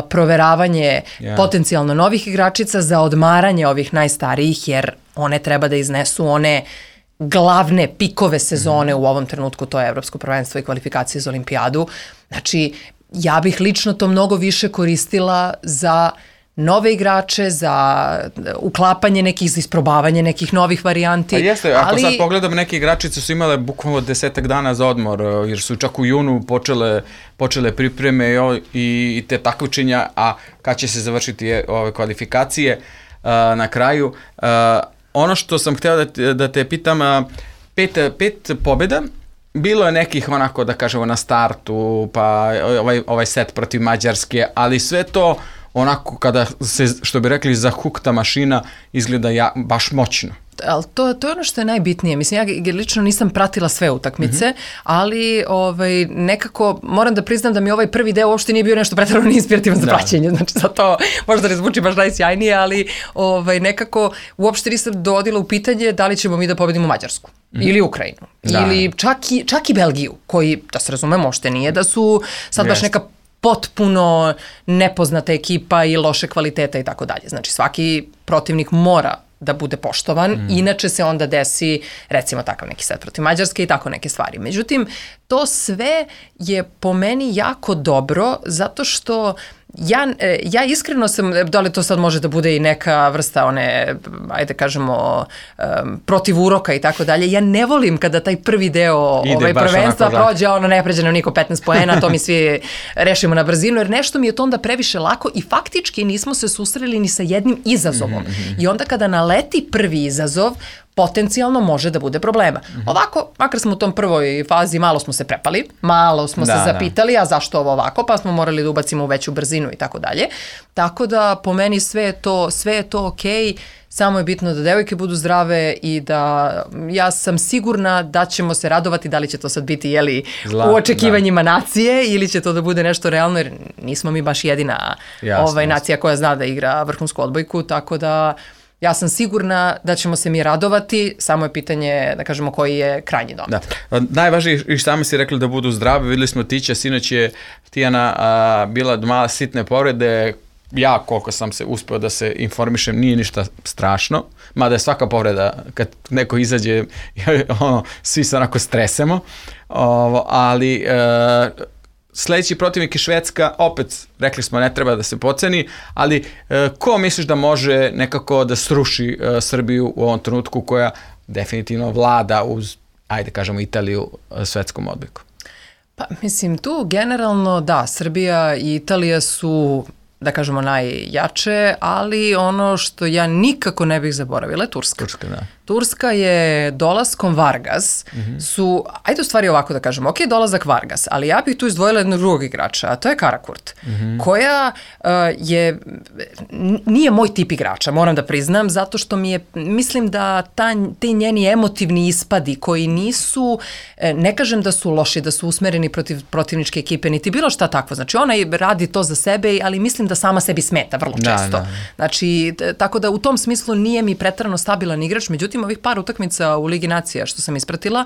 proveravanje potencijalno novih igračica, za odmaranje ovih najstarijih, jer one treba da iznesu one glavne pikove sezone u ovom trenutku, to je Evropsko prvenstvo i kvalifikacije za olimpijadu. Znači, ja bih lično to mnogo više koristila za nove igrače, za uklapanje nekih, za isprobavanje nekih novih varijanti. Pa jeste, ako sad pogledam, neke igračice su imale bukvalno 10 dana za odmor, jer su čak u junu počele pripreme i te takmičenja, a kad će se završiti ove kvalifikacije na kraju. Ono što sam hteo da te pitam, 5 pobjeda, bilo je nekih onako, da kažemo, na startu, pa ovaj set protiv Mađarske, ali sve to onako kada se, što bi rekli, zahukta mašina, izgleda baš moćno. Ali to je ono što je najbitnije. Mislim, ja lično nisam pratila sve utakmice, ali nekako moram da priznam da mi ovaj prvi deo uopšte nije bio nešto preterano inspirativan za praćenje. Znači, zato možda ne zvuči baš najsjajnije, ali nekako uopšte nisam dovodila u pitanje da li ćemo mi da pobedimo Mađarsku ili Ukrajinu. Ili čak i Belgiju, koji, da se razumemo, uopšte nije da su sad baš neka potpuno nepoznata ekipa i loše kvaliteta i tako dalje. Znači, svaki protivnik mora da bude poštovan, inače se onda desi, recimo, takav neki set protiv Mađarske i tako neke stvari. Međutim, to sve je po meni jako dobro, zato što ja iskreno sam, da li to sad može da bude i neka vrsta one, ajde kažemo, protiv uroka i tako dalje, ja ne volim kada taj prvi deo prvenstva prođe, ne pređe nam niko 15 poena, to mi svi rešimo na brzinu, jer nešto mi je to onda previše lako i faktički nismo se susreli ni sa jednim izazovom. I onda kada naleti prvi izazov, potencijalno može da bude problema. Ovako, makar smo u tom prvoj fazi, malo smo se prepali, malo smo se zapitali, a zašto ovo ovako, pa smo morali da ubacimo u veću brzinu i tako dalje. Tako da, po meni sve je to okej, samo je bitno da devojke budu zdrave i da ja sam sigurna da ćemo se radovati, da li će to sad biti u očekivanjima nacije ili će to da bude nešto realno, jer nismo mi baš jedina nacija koja zna da igra vrhunsku odbojku, tako da ja sam sigurna da ćemo se mi radovati, samo je pitanje, da kažemo, koji je krajnji dom. Najvažnije, i sami si rekli da budu zdravi, videli smo Tića, sinoć je Tijana bila mala sitne povrede, ja koliko sam se uspeo da se informišem, nije ništa strašno, mada je svaka povreda, kad neko izađe, svi se onako stresemo, ali sledeći protivnik je Švedska, opet rekli smo ne treba da se podceni, ali ko misliš da može nekako da sruši Srbiju u ovom trenutku koja definitivno vlada uz, ajde kažemo, Italiju svetskom odbojku? Pa mislim, tu generalno da, Srbija i Italija su, da kažemo, najjače, ali ono što ja nikako ne bih zaboravila je Turska. Turska je dolaskom Vargas su, ajde u stvari ovako da kažemo, ok, dolazak Vargas, ali ja bih tu izdvojila jednog drugog igrača, a to je Karakurt, koja nije moj tip igrača, moram da priznam, zato što mislim da ti njeni emotivni ispadi koji nisu, ne kažem da su loši, da su usmereni protiv protivničke ekipe, niti bilo šta takvo, znači ona radi to za sebe, ali mislim da sama sebi smeta vrlo često. Znači, tako da u tom smislu nije mi preterano stabilan igrač, međutim ovih par utakmica u Ligi nacija što sam ispratila,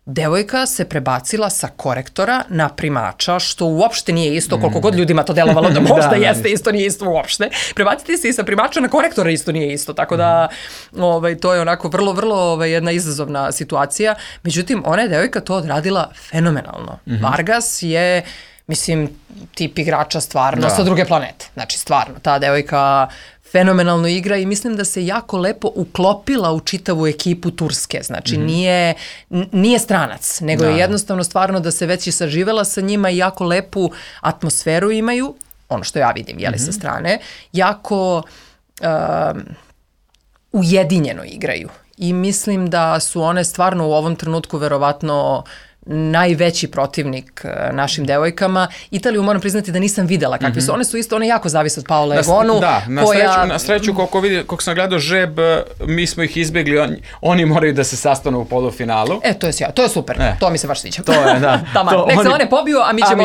devojka se prebacila sa korektora na primača, što uopšte nije isto, koliko god ljudima to delovalo da možda jeste isto, nije isto uopšte. Prebaciti se i sa primača na korektora isto nije isto, tako da to je onako vrlo jedna izazovna situacija. Međutim, ona je devojka to odradila fenomenalno. Vargas je, mislim, tip igrača stvarno sa druge planete. Znači, stvarno, ta devojka fenomenalno igra i mislim da se jako lepo uklopila u čitavu ekipu Turske. Znači, nije stranac, nego je jednostavno stvarno da se već i saživela sa njima i jako lepu atmosferu imaju, ono što ja vidim, sa strane, jako ujedinjeno igraju. I mislim da su one stvarno u ovom trenutku verovatno najveći protivnik našim devojkama. Italiju moram priznati da nisam videla kakvi su. One jako zavise od Paola Egonu. Na sreću koliko sam gledao žreb, mi smo ih izbjegli, oni moraju da se sastanu u polufinalu. To je super, to mi se baš sviđa. To je, da. Nek se one pobiju, a mi ćemo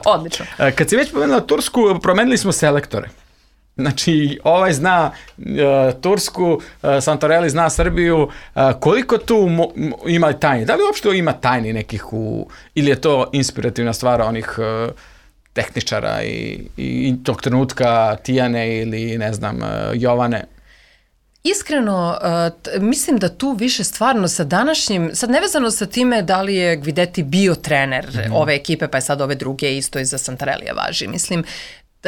odlično. Kad si već pomenula Tursku, promenili smo selektore. Znači, ovaj zna Tursku, Santorelli zna Srbiju, koliko tu ima tajni? Da li uopšte ima tajni nekih ili je to inspirativna stvar onih tehničara i tog trenutka Tijane ili ne znam, Jovane? Iskreno, mislim da tu više stvarno sa današnjim, sad nevezano sa time da li je Guidetti bio trener ove ekipe, pa je sad ove druge isto i za Santarellija važi. Mislim,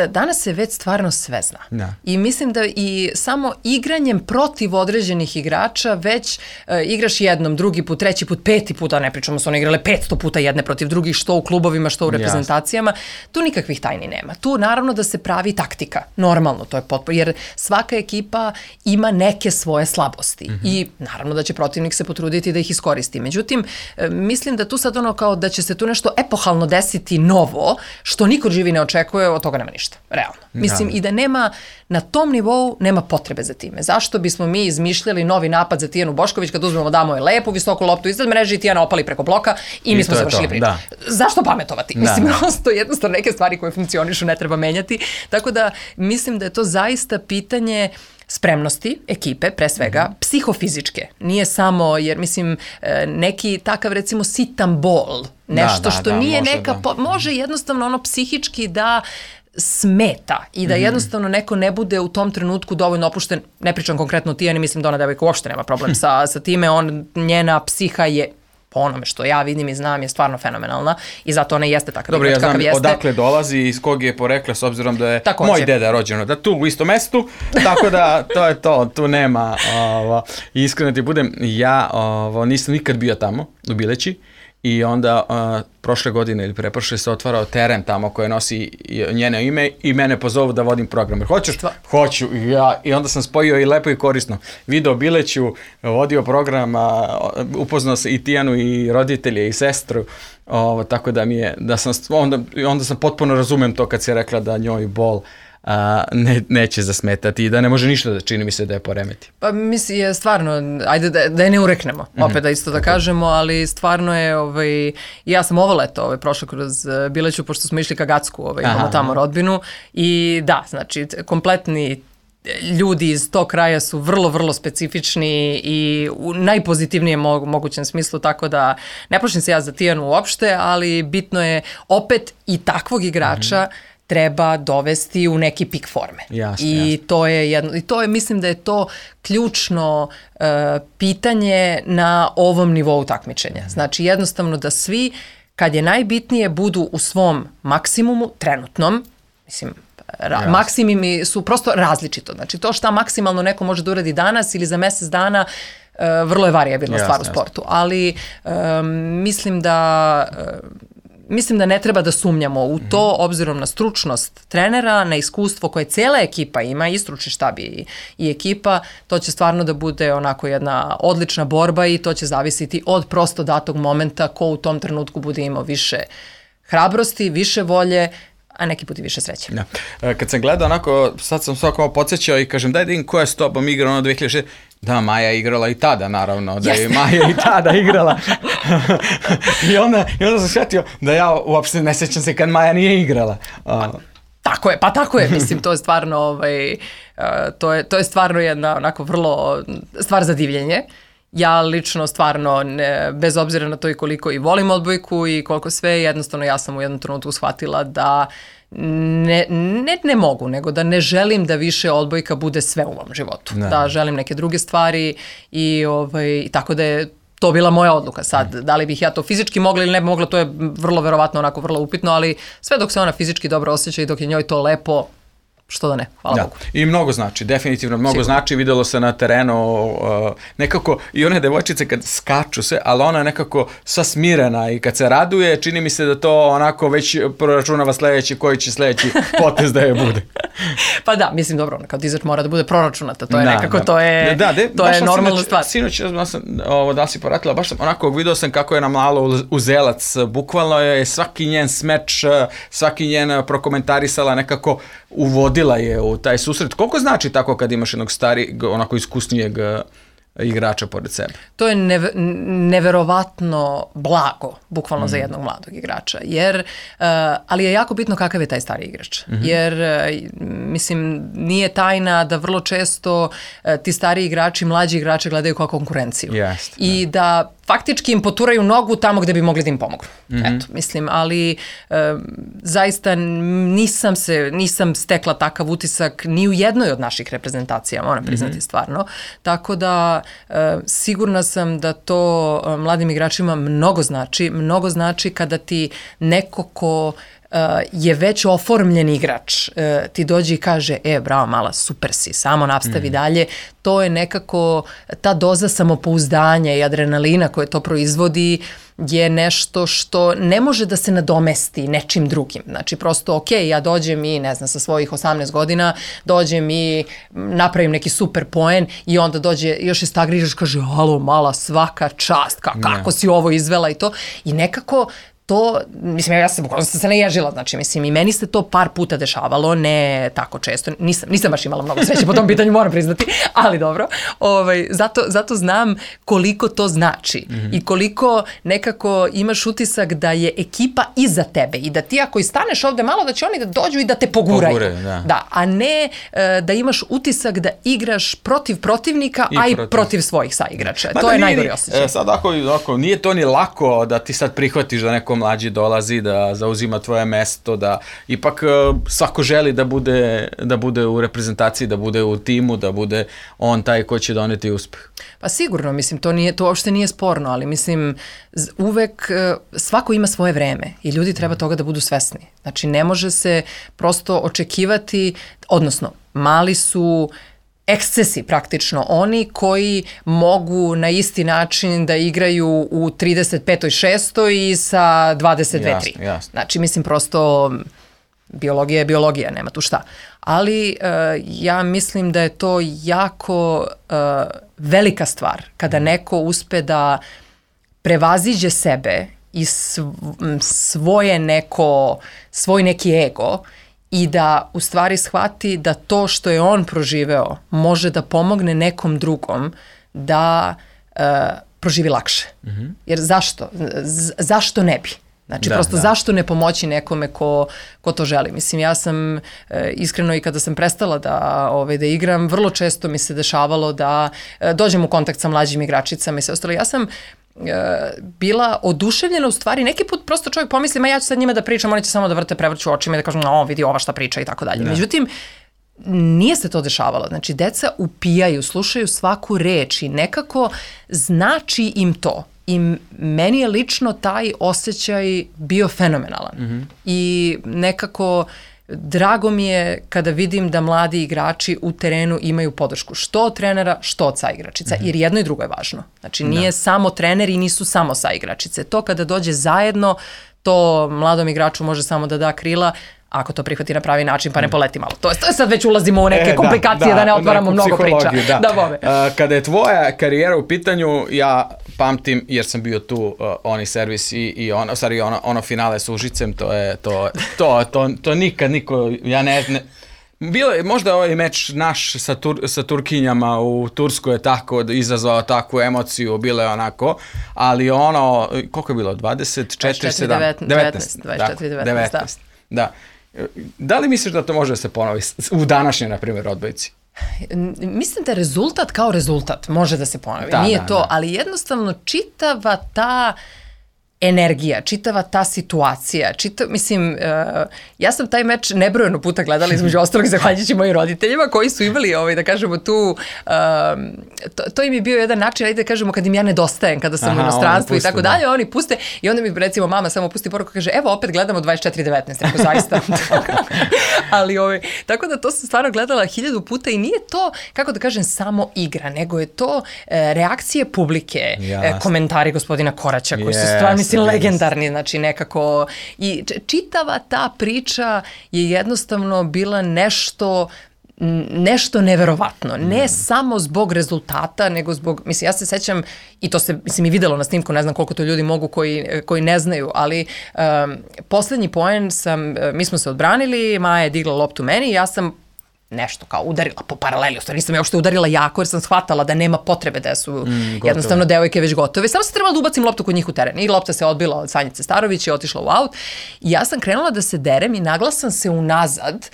danas se već stvarno sve zna. I mislim da i samo igranjem protiv određenih igrača već igraš jednom, drugi put, treći put, peti put, a ne pričamo su one igrale 500 puta jedne protiv drugih, što u klubovima, što u reprezentacijama. Tu nikakvih tajni nema. Tu naravno da se pravi taktika. Normalno, to je potpuno, jer svaka ekipa ima neke svoje slabosti i naravno da će protivnik se potruditi da ih iskoristi. Međutim, mislim da tu sad ono kao da će se tu nešto epohalno desiti novo, što niko živi ne očekuje, od toga nema ništa. Realno. Mislim i da nema, na tom nivou nema potrebe za time. Zašto bismo mi izmišljali novi napad za Tijanu Bošković kad uzmemo damo je lepu visoku loptu iznad mreže i Tijana opali preko bloka i mi smo završili priču. Zašto pametovati? Mislim, prosto jednostavno neke stvari koje funkcionišu ne treba menjati. Tako da mislim da je to zaista pitanje spremnosti ekipe, pre svega, psihofizičke. Nije samo, jer mislim, neki takav recimo sitan bol, nešto što nije neka, može jednostavno ono psihički da smeta i da jednostavno neko ne bude u tom trenutku dovoljno opušten. Ne pričam konkretno o Tijani, mislim da ona devojka uopšte nema problem sa time, njena psiha je, po onome što ja vidim i znam, je stvarno fenomenalna i zato ona jeste takav igrač kakav jeste. Dobro, ja znam odakle dolazi i iz kog je porekla, s obzirom da je moj deda rođeno, da tu u istom mestu, tako da to je to, tu nema, iskreno ti budem, ja nisam nikad bio tamo, u Bileći, i onda prošle godine ili preprošle se otvarao teren tamo koje nosi njeno ime i mene pozovu da vodim program. Hoćeš? Hoću. I onda sam spojio i lepo i korisno. Video Bileću, vodio program, upoznao se i Tijanu i roditelje i sestru, tako da mi je, onda sam potpuno razumem to kad si rekla da njoj bol neće zasmetati i da ne može ništa da čini mi se da je poremeti. Pa mislim je stvarno, ajde da je ne ureknemo, opet da isto da kažemo, ali stvarno je, ja sam ovo leto prošla kroz Bileću, pošto smo išli ka Gacku, imamo tamo rodbinu i da, znači kompletni ljudi iz tog kraja su vrlo, vrlo specifični i u najpozitivnijem mogućem smislu, tako da ne plašim se ja za Tijanu uopšte, ali bitno je opet i takvog igrača treba dovesti u neki pik forme. I to je, mislim da je to ključno pitanje na ovom nivou takmičenja. Znači jednostavno da svi, kad je najbitnije, budu u svom maksimumu, trenutnom, mislim, maksimumi su prosto različito. Znači to šta maksimalno neko može da uradi danas ili za mjesec dana, vrlo je varijabilna stvar u sportu. Ali mislim da ne treba da sumnjamo u to, obzirom na stručnost trenera, na iskustvo koje cijela ekipa ima, i stručni štab i ekipa, to će stvarno da bude onako jedna odlična borba i to će zavisiti od prosto datog momenta ko u tom trenutku bude imao više hrabrosti, više volje, a neki put i više sreće. Kad sam gledao onako, sad sam svako podsjećao i kažem daj da im ko je s tobom igrao ono 2006. Da, Maja je igrala i tada, naravno, da je Maja i tada igrala. I onda sam shvatio da ja uopšte ne sjećam se kad Maja nije igrala. Tako je, mislim, to je stvarno, to je stvarno jedna onako vrlo stvar za divljenje. ja lično stvarno, bez obzira na to i koliko i volim odbojku i koliko sve, jednostavno ja sam u jednom trenutku shvatila da ne mogu, nego da ne želim da više odbojka bude sve u mom životu. Da želim neke druge stvari i tako da je to bila moja odluka. Sad, da li bih ja to fizički mogla ili ne bi mogla, to je vrlo verovatno onako vrlo upitno, ali sve dok se ona fizički dobro osjeća i dok je njoj to lepo, što da ne, hvala Bogu. I mnogo znači, definitivno mnogo znači, videlo se na terenu nekako i one devojčice kad skaču se, ali ona je nekako sva smirena i kad se raduje, čini mi se da to onako već proračunava sledeći, koji će sledeći potez da je bude. Pa da, mislim, dobro, kao dizač mora da bude proračunata, to je nekako, to je normalna stvar. Sinoć, da si poratila, baš sam onako vidio sam kako je nam malo uzelac, bukvalno je svaki njen smeč, svaki njen prokomentarisala nekako uvodila je u taj susret. Koliko znači tako kad imaš jednog onako iskusnijeg igrača pored sebe? To je neverovatno blago, bukvalno za jednog mladog igrača, ali je jako bitno kakav je taj stari igrač. Jer, mislim, nije tajna da vrlo često ti stari igrači, mlađi igrače gledaju kao konkurenciju. I da faktički im poturaju nogu tamo gde bi mogli da im pomognu. Eto, mislim, ali zaista nisam stekla takav utisak ni u jednoj od naših reprezentacija, moram priznati stvarno. Tako da sigurna sam da to mladim igračima mnogo znači kada ti neko ko je već oformljen igrač, ti dođe i kaže, bravo mala, super si, samo nastavi dalje. To je nekako, ta doza samopouzdanja i adrenalina koje to proizvodi je nešto što ne može da se nadomesti nečim drugim. Znači, prosto, ja dođem i, ne znam, sa svojih 18 godina, dođem i napravim neki super poen i onda dođe još iz tagrižaš i kaže, alo, mala, svaka čast, kako si ovo izvela i to. I nekako to, mislim, ja sam se naježila, znači, mislim, i meni se to par puta dešavalo, ne tako često, nisam baš imala mnogo sreće po tom pitanju, moram priznati, ali dobro, zato znam koliko to znači i koliko nekako imaš utisak da je ekipa iza tebe i da ti ako i staneš ovde malo da će oni da dođu i da te poguraju. Da, a ne da imaš utisak da igraš protiv protivnika, a i protiv svojih saigrača. To je najgori osjećaj. Sad ako nije to ni lako da ti sad prihvatiš da neko mlađi dolazi, da zauzima tvoje mesto, da ipak svako želi da bude u reprezentaciji, da bude u timu, da bude on taj ko će doneti uspeh. Pa sigurno, mislim, to uopšte nije sporno, ali mislim, uvek svako ima svoje vreme i ljudi treba toga da budu svesni. Znači, ne može se prosto očekivati, odnosno, mali su ekscesi praktično, oni koji mogu na isti način da igraju u 35. 6. i sa 22. 3. Znači, mislim, prosto biologija je biologija, nema tu šta. Ali ja mislim da je to jako velika stvar kada neko uspe da prevaziđe sebe i svoj neki ego i da u stvari shvati da to što je on proživeo može da pomogne nekom drugom da proživi lakše. Jer zašto? Zašto ne bi? Znači, prosto zašto ne pomoći nekome ko to želi? Mislim, ja sam iskreno i kada sam prestala da igram, vrlo često mi se dešavalo da dođem u kontakt sa mlađim igračicama i sve ostalo. Ja sam bila oduševljena u stvari. Neki put prosto čovjek pomisli, ja ću sad njima da pričam, oni će samo da prevrću očima i da kažu, vidi ova šta priča i tako dalje. Međutim, nije se to dešavalo. Znači, deca upijaju, slušaju svaku reč i nekako znači im to. I meni je lično taj osjećaj bio fenomenalan. I nekako drago mi je kada vidim da mladi igrači u terenu imaju podršku što od trenera, što od saigračica, jer jedno i drugo je važno. Znači, nije samo trener i nisu samo saigračice. To kada dođe zajedno, to mladom igraču može samo da da krila, ako to prihvati na pravi način, pa ne poleti malo. To je sad već ulazimo u neke komplikacije, da ne otvaramo mnogo priča. Kada je tvoja karijera u pitanju, ja pamtim, jer sam bio tu, oni servis i ono finale s Užicem, to nikad niko, ja ne... Bilo je možda ovaj meč naš sa Turkinjama u Turskoj je tako izazvao takvu emociju, bilo je onako, ali ono, koliko je bilo, 19. Da. Da li misliš da to može da se ponovi u današnjoj, na primjer, odbojci? Mislim da rezultat kao rezultat može da se ponovi. Nije to, ali jednostavno čitava ta energija, čitava ta situacija, mislim, ja sam taj meč nebrojeno puta gledala između ostalog zahvaljujući mojim roditeljima koji su imali, da kažemo, tu, to im je bio jedan način, ajde da kažemo, kad im ja nedostajem, kada sam u inostranstvu i tako dalje, oni puste i onda mi recimo mama samo pusti poruku, kaže, evo opet gledamo 24/19, rekao, zaista. Ali, tako da to sam stvarno gledala 1000 puta i nije to, kako da kažem, samo igra, nego je to reakcije publike, komentari gospodina Koraća, koji su stvarno legendarni, znači nekako, i čitava ta priča je jednostavno bila nešto neverovatno, ne samo zbog rezultata, nego zbog, mislim, ja se sećam, i to se, mislim, i videlo na snimku, ne znam koliko to ljudi mogu koji ne znaju, ali poslednji poen mi smo se odbranili, Maja je digla loptu meni i ja sam nešto kao udarila po paraleli, ostalo nisam je uopšte udarila jako jer sam shvatala da nema potrebe da su jednostavno devojke već gotove. Samo sam trebala da ubacim loptu kod njih u teren i lopta se odbila od Sanjice Starović i otišla u aut i ja sam krenula da se derem i nagla sam se unazad.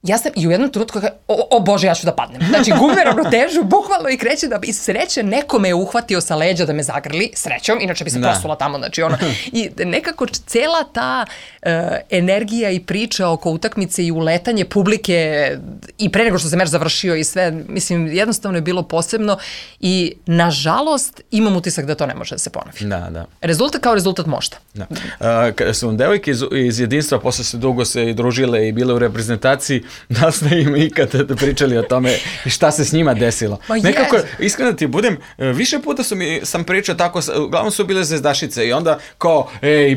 Ja sam i u jednom trenutku o Bože, ja ću da padnem. Znači, gubim ravnotežu, bukvalno i kreće da iz sreće neko me je uhvatio sa leđa da me zagrli, srećom, inače bi se posula tamo, znači ono. I nekako cela ta energija i priča oko utakmice i uletanje publike i pre nego što se meč završio i sve, mislim, jednostavno je bilo posebno i nažalost imam utisak da to ne može da se ponovi. Da. Rezultat kao rezultat možda. Kada su devojke iz jedinstva posle se dugo se i družile i bile u reprezentaciji, da ste im ikada pričali o tome šta se s njima desilo. Nekako, iskreno da ti budem, više puta sam pričao tako, uglavnom su bile zvezdašice i onda kao,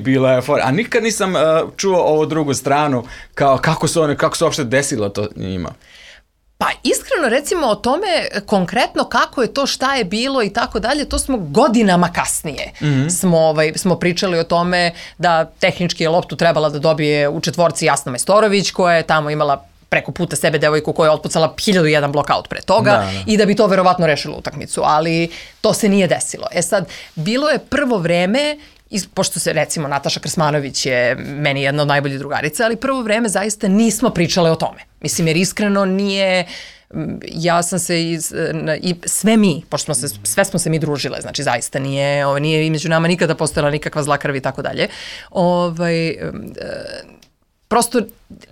bila je fora, a nikad nisam čuo ovu drugu stranu, kao kako se uopšte desilo to njima. Pa iskreno recimo o tome konkretno kako je to, šta je bilo i tako dalje, to smo godinama kasnije smo pričali o tome da tehnički je loptu trebala da dobije u četvorci Jasna Majstorović koja je tamo imala preko puta sebe devojku koja je otpucala 1001 blokaut pre toga i da bi to verovatno rešilo utakmicu, ali to se nije desilo. Sad, bilo je prvo vreme, pošto se recimo Nataša Krsmanović je meni jedna od najboljih drugarica, ali prvo vreme zaista nismo pričale o tome. Mislim, jer iskreno nije, ja sam se i sve mi, pošto sve smo se mi družile, znači zaista nije među nama nikada postojala nikakva zla krv i tako dalje. Prosto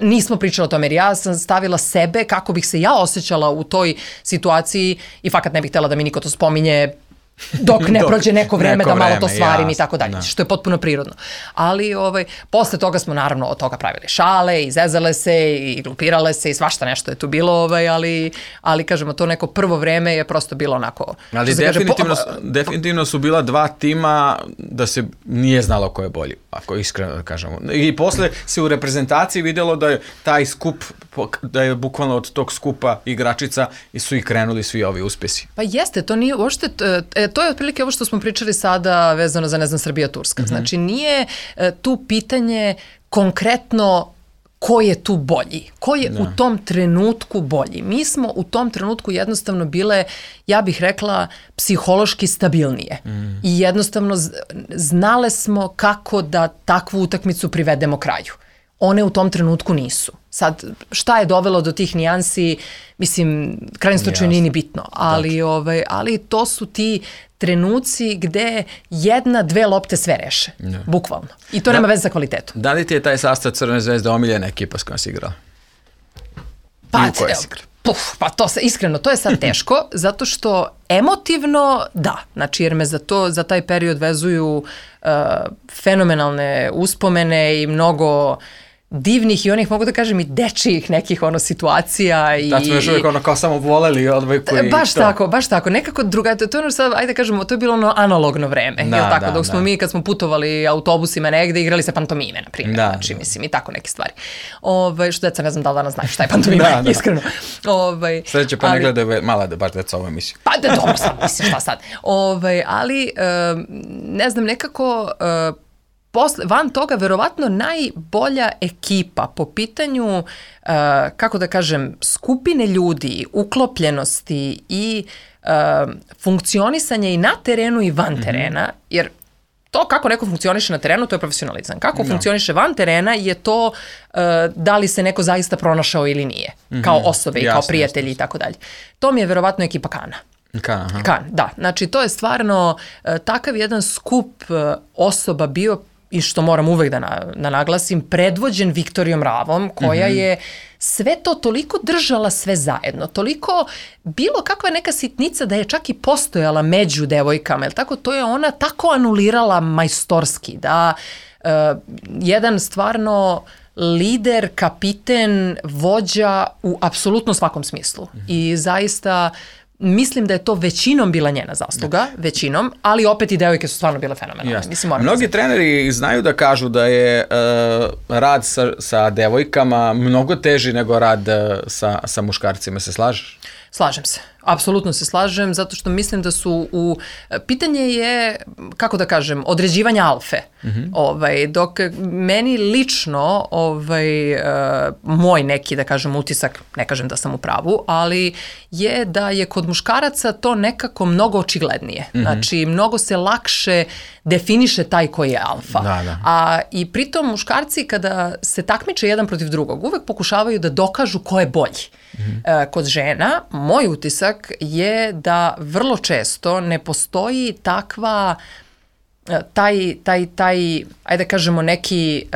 nismo pričali o tome jer ja sam stavila sebe kako bih se ja osjećala u toj situaciji i fakat ne bih htjela da mi niko to spominje dok ne prođe neko vreme da malo to svarim i tako dalje, što je potpuno prirodno. Ali posle toga smo naravno od toga pravili šale i zezale se i glupirale se i svašta nešto je tu bilo, ali kažemo to neko prvo vreme je prosto bilo onako. Ali definitivno su bila dva tima da se nije znalo ko je bolji, ako iskreno da kažemo. I posle se u reprezentaciji vidjelo da je taj skup, da je bukvalno od tog skupa igračica i su i krenuli svi ovi uspjesi. Pa jeste, to nije uopšte, to je otprilike ovo što smo pričali sada vezano za, ne znam, Srbija-Turska. Znači, nije tu pitanje konkretno ko je tu bolji, ko je u tom trenutku bolji. Mi smo u tom trenutku jednostavno bile, ja bih rekla, psihološki stabilnije. I jednostavno znale smo kako da takvu utakmicu privedemo kraju. One u tom trenutku nisu. Sad, šta je dovelo do tih nijansi, mislim, krajnje slučaju nije ni bitno, ali to su ti trenuci gde 1-2 lopte sve reše, bukvalno. I to nema veze sa kvalitetom. Da li ti je taj sastav Crvene zvezde omiljena ekipa s kojom si igrala? Pa to se, iskreno, to je sad teško, zato što emotivno, da, znači jer me za taj period vezuju fenomenalne uspomene i mnogo divnih i onih, mogu da kažem, i dečijih nekih situacija. Da smo još uvijek kao samo voleli odbojku i to. Baš tako, nekako drugačije, to je sad, ajde da kažemo, to je bilo analogno vreme, dok smo mi kad smo putovali autobusima negde, igrali se pantomime, na primjer, znači, mislim, i tako neke stvari. Što deca, ne znam da li danas znaju šta je pantomime, iskreno. Sljedeće pa ne gledaju mala da baš deca ovo emisiju. Pa da, dobro sad, mislim, šta sad. Ali, ne znam, nekako van toga verovatno najbolja ekipa po pitanju, kako da kažem, skupine ljudi, uklopljenosti i funkcionisanja i na terenu i van terena, jer to kako neko funkcioniše na terenu, to je profesionalizam. Kako funkcioniše van terena je to da li se neko zaista pronašao ili nije. Kao osobe i kao prijatelji i tako dalje. To mi je verovatno ekipa Kana. Kan, da. Znači, to je stvarno takav jedan skup osoba bio, i što moram uvek da naglasim, predvođen Viktorijom Ravom, koja je sve to toliko držala sve zajedno, toliko bilo kakva neka sitnica da je čak i postojala među devojkama, tako, to je ona tako anulirala majstorski, da jedan stvarno lider, kapiten, vođa u apsolutno svakom smislu. I zaista mislim da je to većinom bila njena zasluga, većinom, ali opet i devojke su stvarno bile fenomenalne. Mnogi treneri znaju da kažu da je rad sa devojkama mnogo teži nego rad sa muškarcima. Se slažeš? Slažem se. Apsolutno se slažem, zato što mislim da su pitanje je, kako da kažem, određivanja alfe. Dok meni lično, moj neki, da kažem, utisak, ne kažem da sam u pravu, ali je da je kod muškaraca to nekako mnogo očiglednije. Znači, mnogo se lakše definiše taj koji je alfa. A i pritom muškarci kada se takmiče jedan protiv drugog, uvek pokušavaju da dokažu ko je bolji. Kod žena, moj utisak je da vrlo često ne postoji takva, taj ajde kažemo neki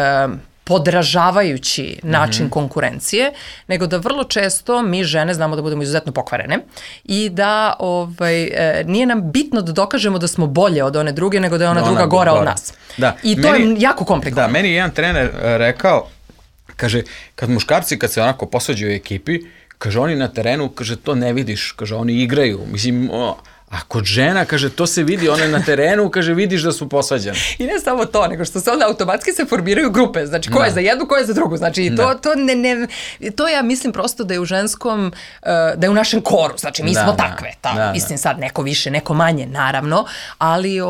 podražavajući način konkurencije, nego da vrlo često mi žene znamo da budemo izuzetno pokvarene i da nije nam bitno da dokažemo da smo bolje od one druge, nego da je ona druga gora od nas. I to je jako komplikovano. Da, meni je jedan trener rekao, kaže, kad muškarci, kad se onako posvađaju u ekipi, kaže, oni na terenu, kaže, to ne vidiš, kaže, oni igraju, mislim, a kod žena, kaže, to se vidi, one na terenu, kaže, vidiš da su posvađane. I ne samo to, nego što se onda automatski se formiraju grupe, znači, ko je za jednu, ko je za drugu, znači, to ja mislim prosto da je u ženskom, da je u našem koru, znači, mi smo takve, mislim sad, neko više, neko manje, naravno, ali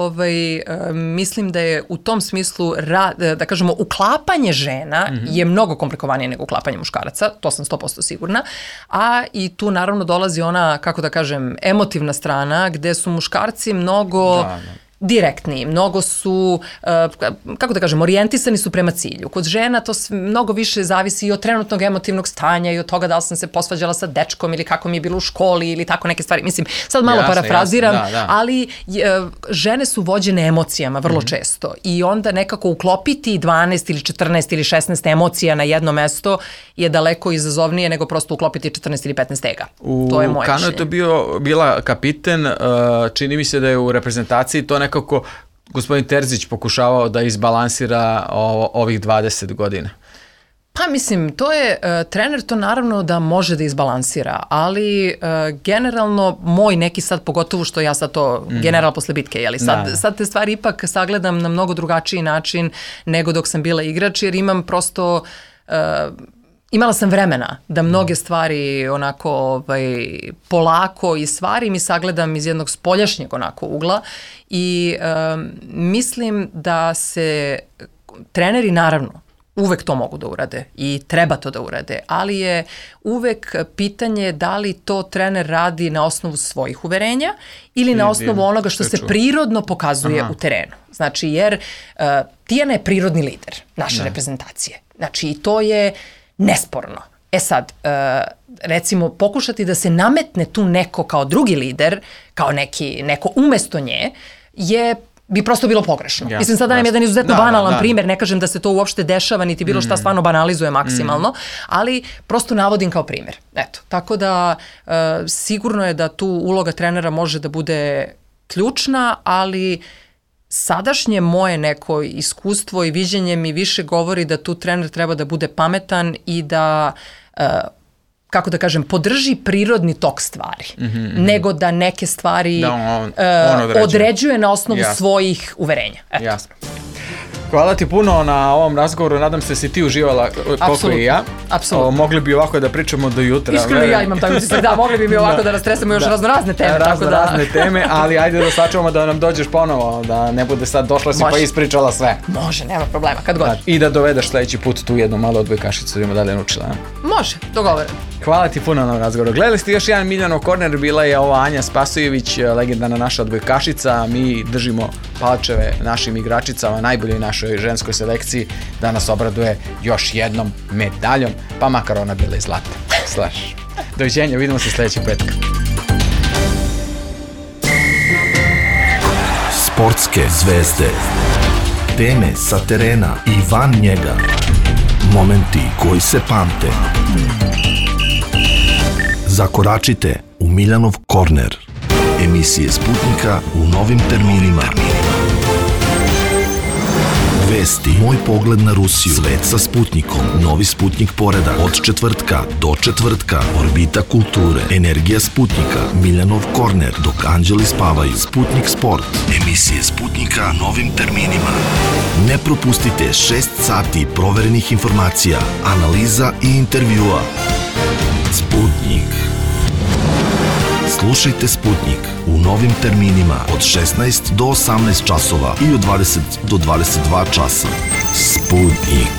mislim da je u tom smislu, da kažemo, uklapanje žena je mnogo komplikovanije nego uklapanje muškaraca, to sam 100% sigurna, a i tu naravno dolazi ona, kako da kažem, emotivna strana, gde su muškarci mnogo direktni, mnogo su, kako da kažem, orijentisani su prema cilju. Kod žena to mnogo više zavisi i od trenutnog emotivnog stanja i od toga da li sam se posvađala sa dečkom ili kako mi je bilo u školi ili tako neke stvari. Mislim, sad malo parafraziram, ali žene su vođene emocijama vrlo često i onda nekako uklopiti 12 ili 14 ili 16 emocija na jedno mesto je daleko izazovnije nego prosto uklopiti 14 ili 15 ega. To je moje Kano je to bila kapiten, čini mi se da je u reprezentaciji to nekako gospodin Terzić pokušavao da izbalansira ovih 20 godina. Pa mislim, to je, trener to naravno da može da izbalansira, ali generalno moj neki sad, pogotovo što ja sad to general posle bitke, jeli, sad te stvari ipak sagledam na mnogo drugačiji način nego dok sam bila igrač, jer imam prosto... Imala sam vremena da mnoge stvari onako polako i stvari mi sagledam iz jednog spoljašnjeg onako ugla i mislim da se treneri naravno uvek to mogu da urade i treba to da urade, ali je uvek pitanje da li to trener radi na osnovu svojih uverenja ili na osnovu onoga što se prirodno pokazuje u terenu. Znači, jer Tijana je prirodni lider naše reprezentacije. Znači, i to je nesporno. E sad, recimo, pokušati da se nametne tu neko kao drugi lider, kao neko umesto nje, bi prosto bilo pogrešno. Mislim, sad dajem jedan izuzetno banalan primjer, ne kažem da se to uopšte dešava, niti bilo šta stvarno banalizuje maksimalno, ali prosto navodim kao primjer. Eto, tako da sigurno je da tu uloga trenera može da bude ključna, ali sadašnje moje neko iskustvo i viđenje mi više govori da tu trener treba da bude pametan i da, kako da kažem, podrži prirodni tok stvari, nego da neke stvari određuje na osnovu svojih uverenja. Jasno. Hvala ti puno na ovom razgovoru, nadam se si ti uživala koliko i ja. Apsolutno. Mogli bi ovako da pričamo do jutra. Iskreno ja imam taj utisak, da, mogli bi mi ovako da rastresamo još razne teme. Razne teme, ali ajde da sačuvamo da nam dođeš ponovo, da ne bude sad došla si pa ispričala sve. Može, nema problema, kad god. I da dovedeš sledeći put tu jednu malu odbojkašicu da ima dalje naučila. Može, dogovoreno. Hvala ti puno na ovom razgovoru. Gledali ste još jedan Miljanov korner, bila je ova Anja Spasojević, legendarna naša odbojkašica. Mi držimo palčeve našim igračicama, najboljoj našoj ženskoj selekciji, da nas obraduje još jednom medaljom, pa makar ona bila i zlata. Slaš. Doviđenja, vidimo se sljedećeg petka. Sportske zvezde. Teme sa terena i van njega. Momenti koji se pamte. Zakoračite u Miljanov korner. Emisije Sputnika u novim terminima. Vesti, moj pogled na Rusiju, svet sa Sputnikom, novi Sputnik poredak, od četvrtka do četvrtka, orbita kulture, energija Sputnika, Miljanov korner, dok anđeli spavaju, Sputnik sport, emisije Sputnika novim terminima. Ne propustite 6 sati proverenih informacija, analiza i intervjua. Sputnik. Slušajte Sputnik u novim terminima od 16 do 18 časova i od 20 do 22 časa. Sputnik.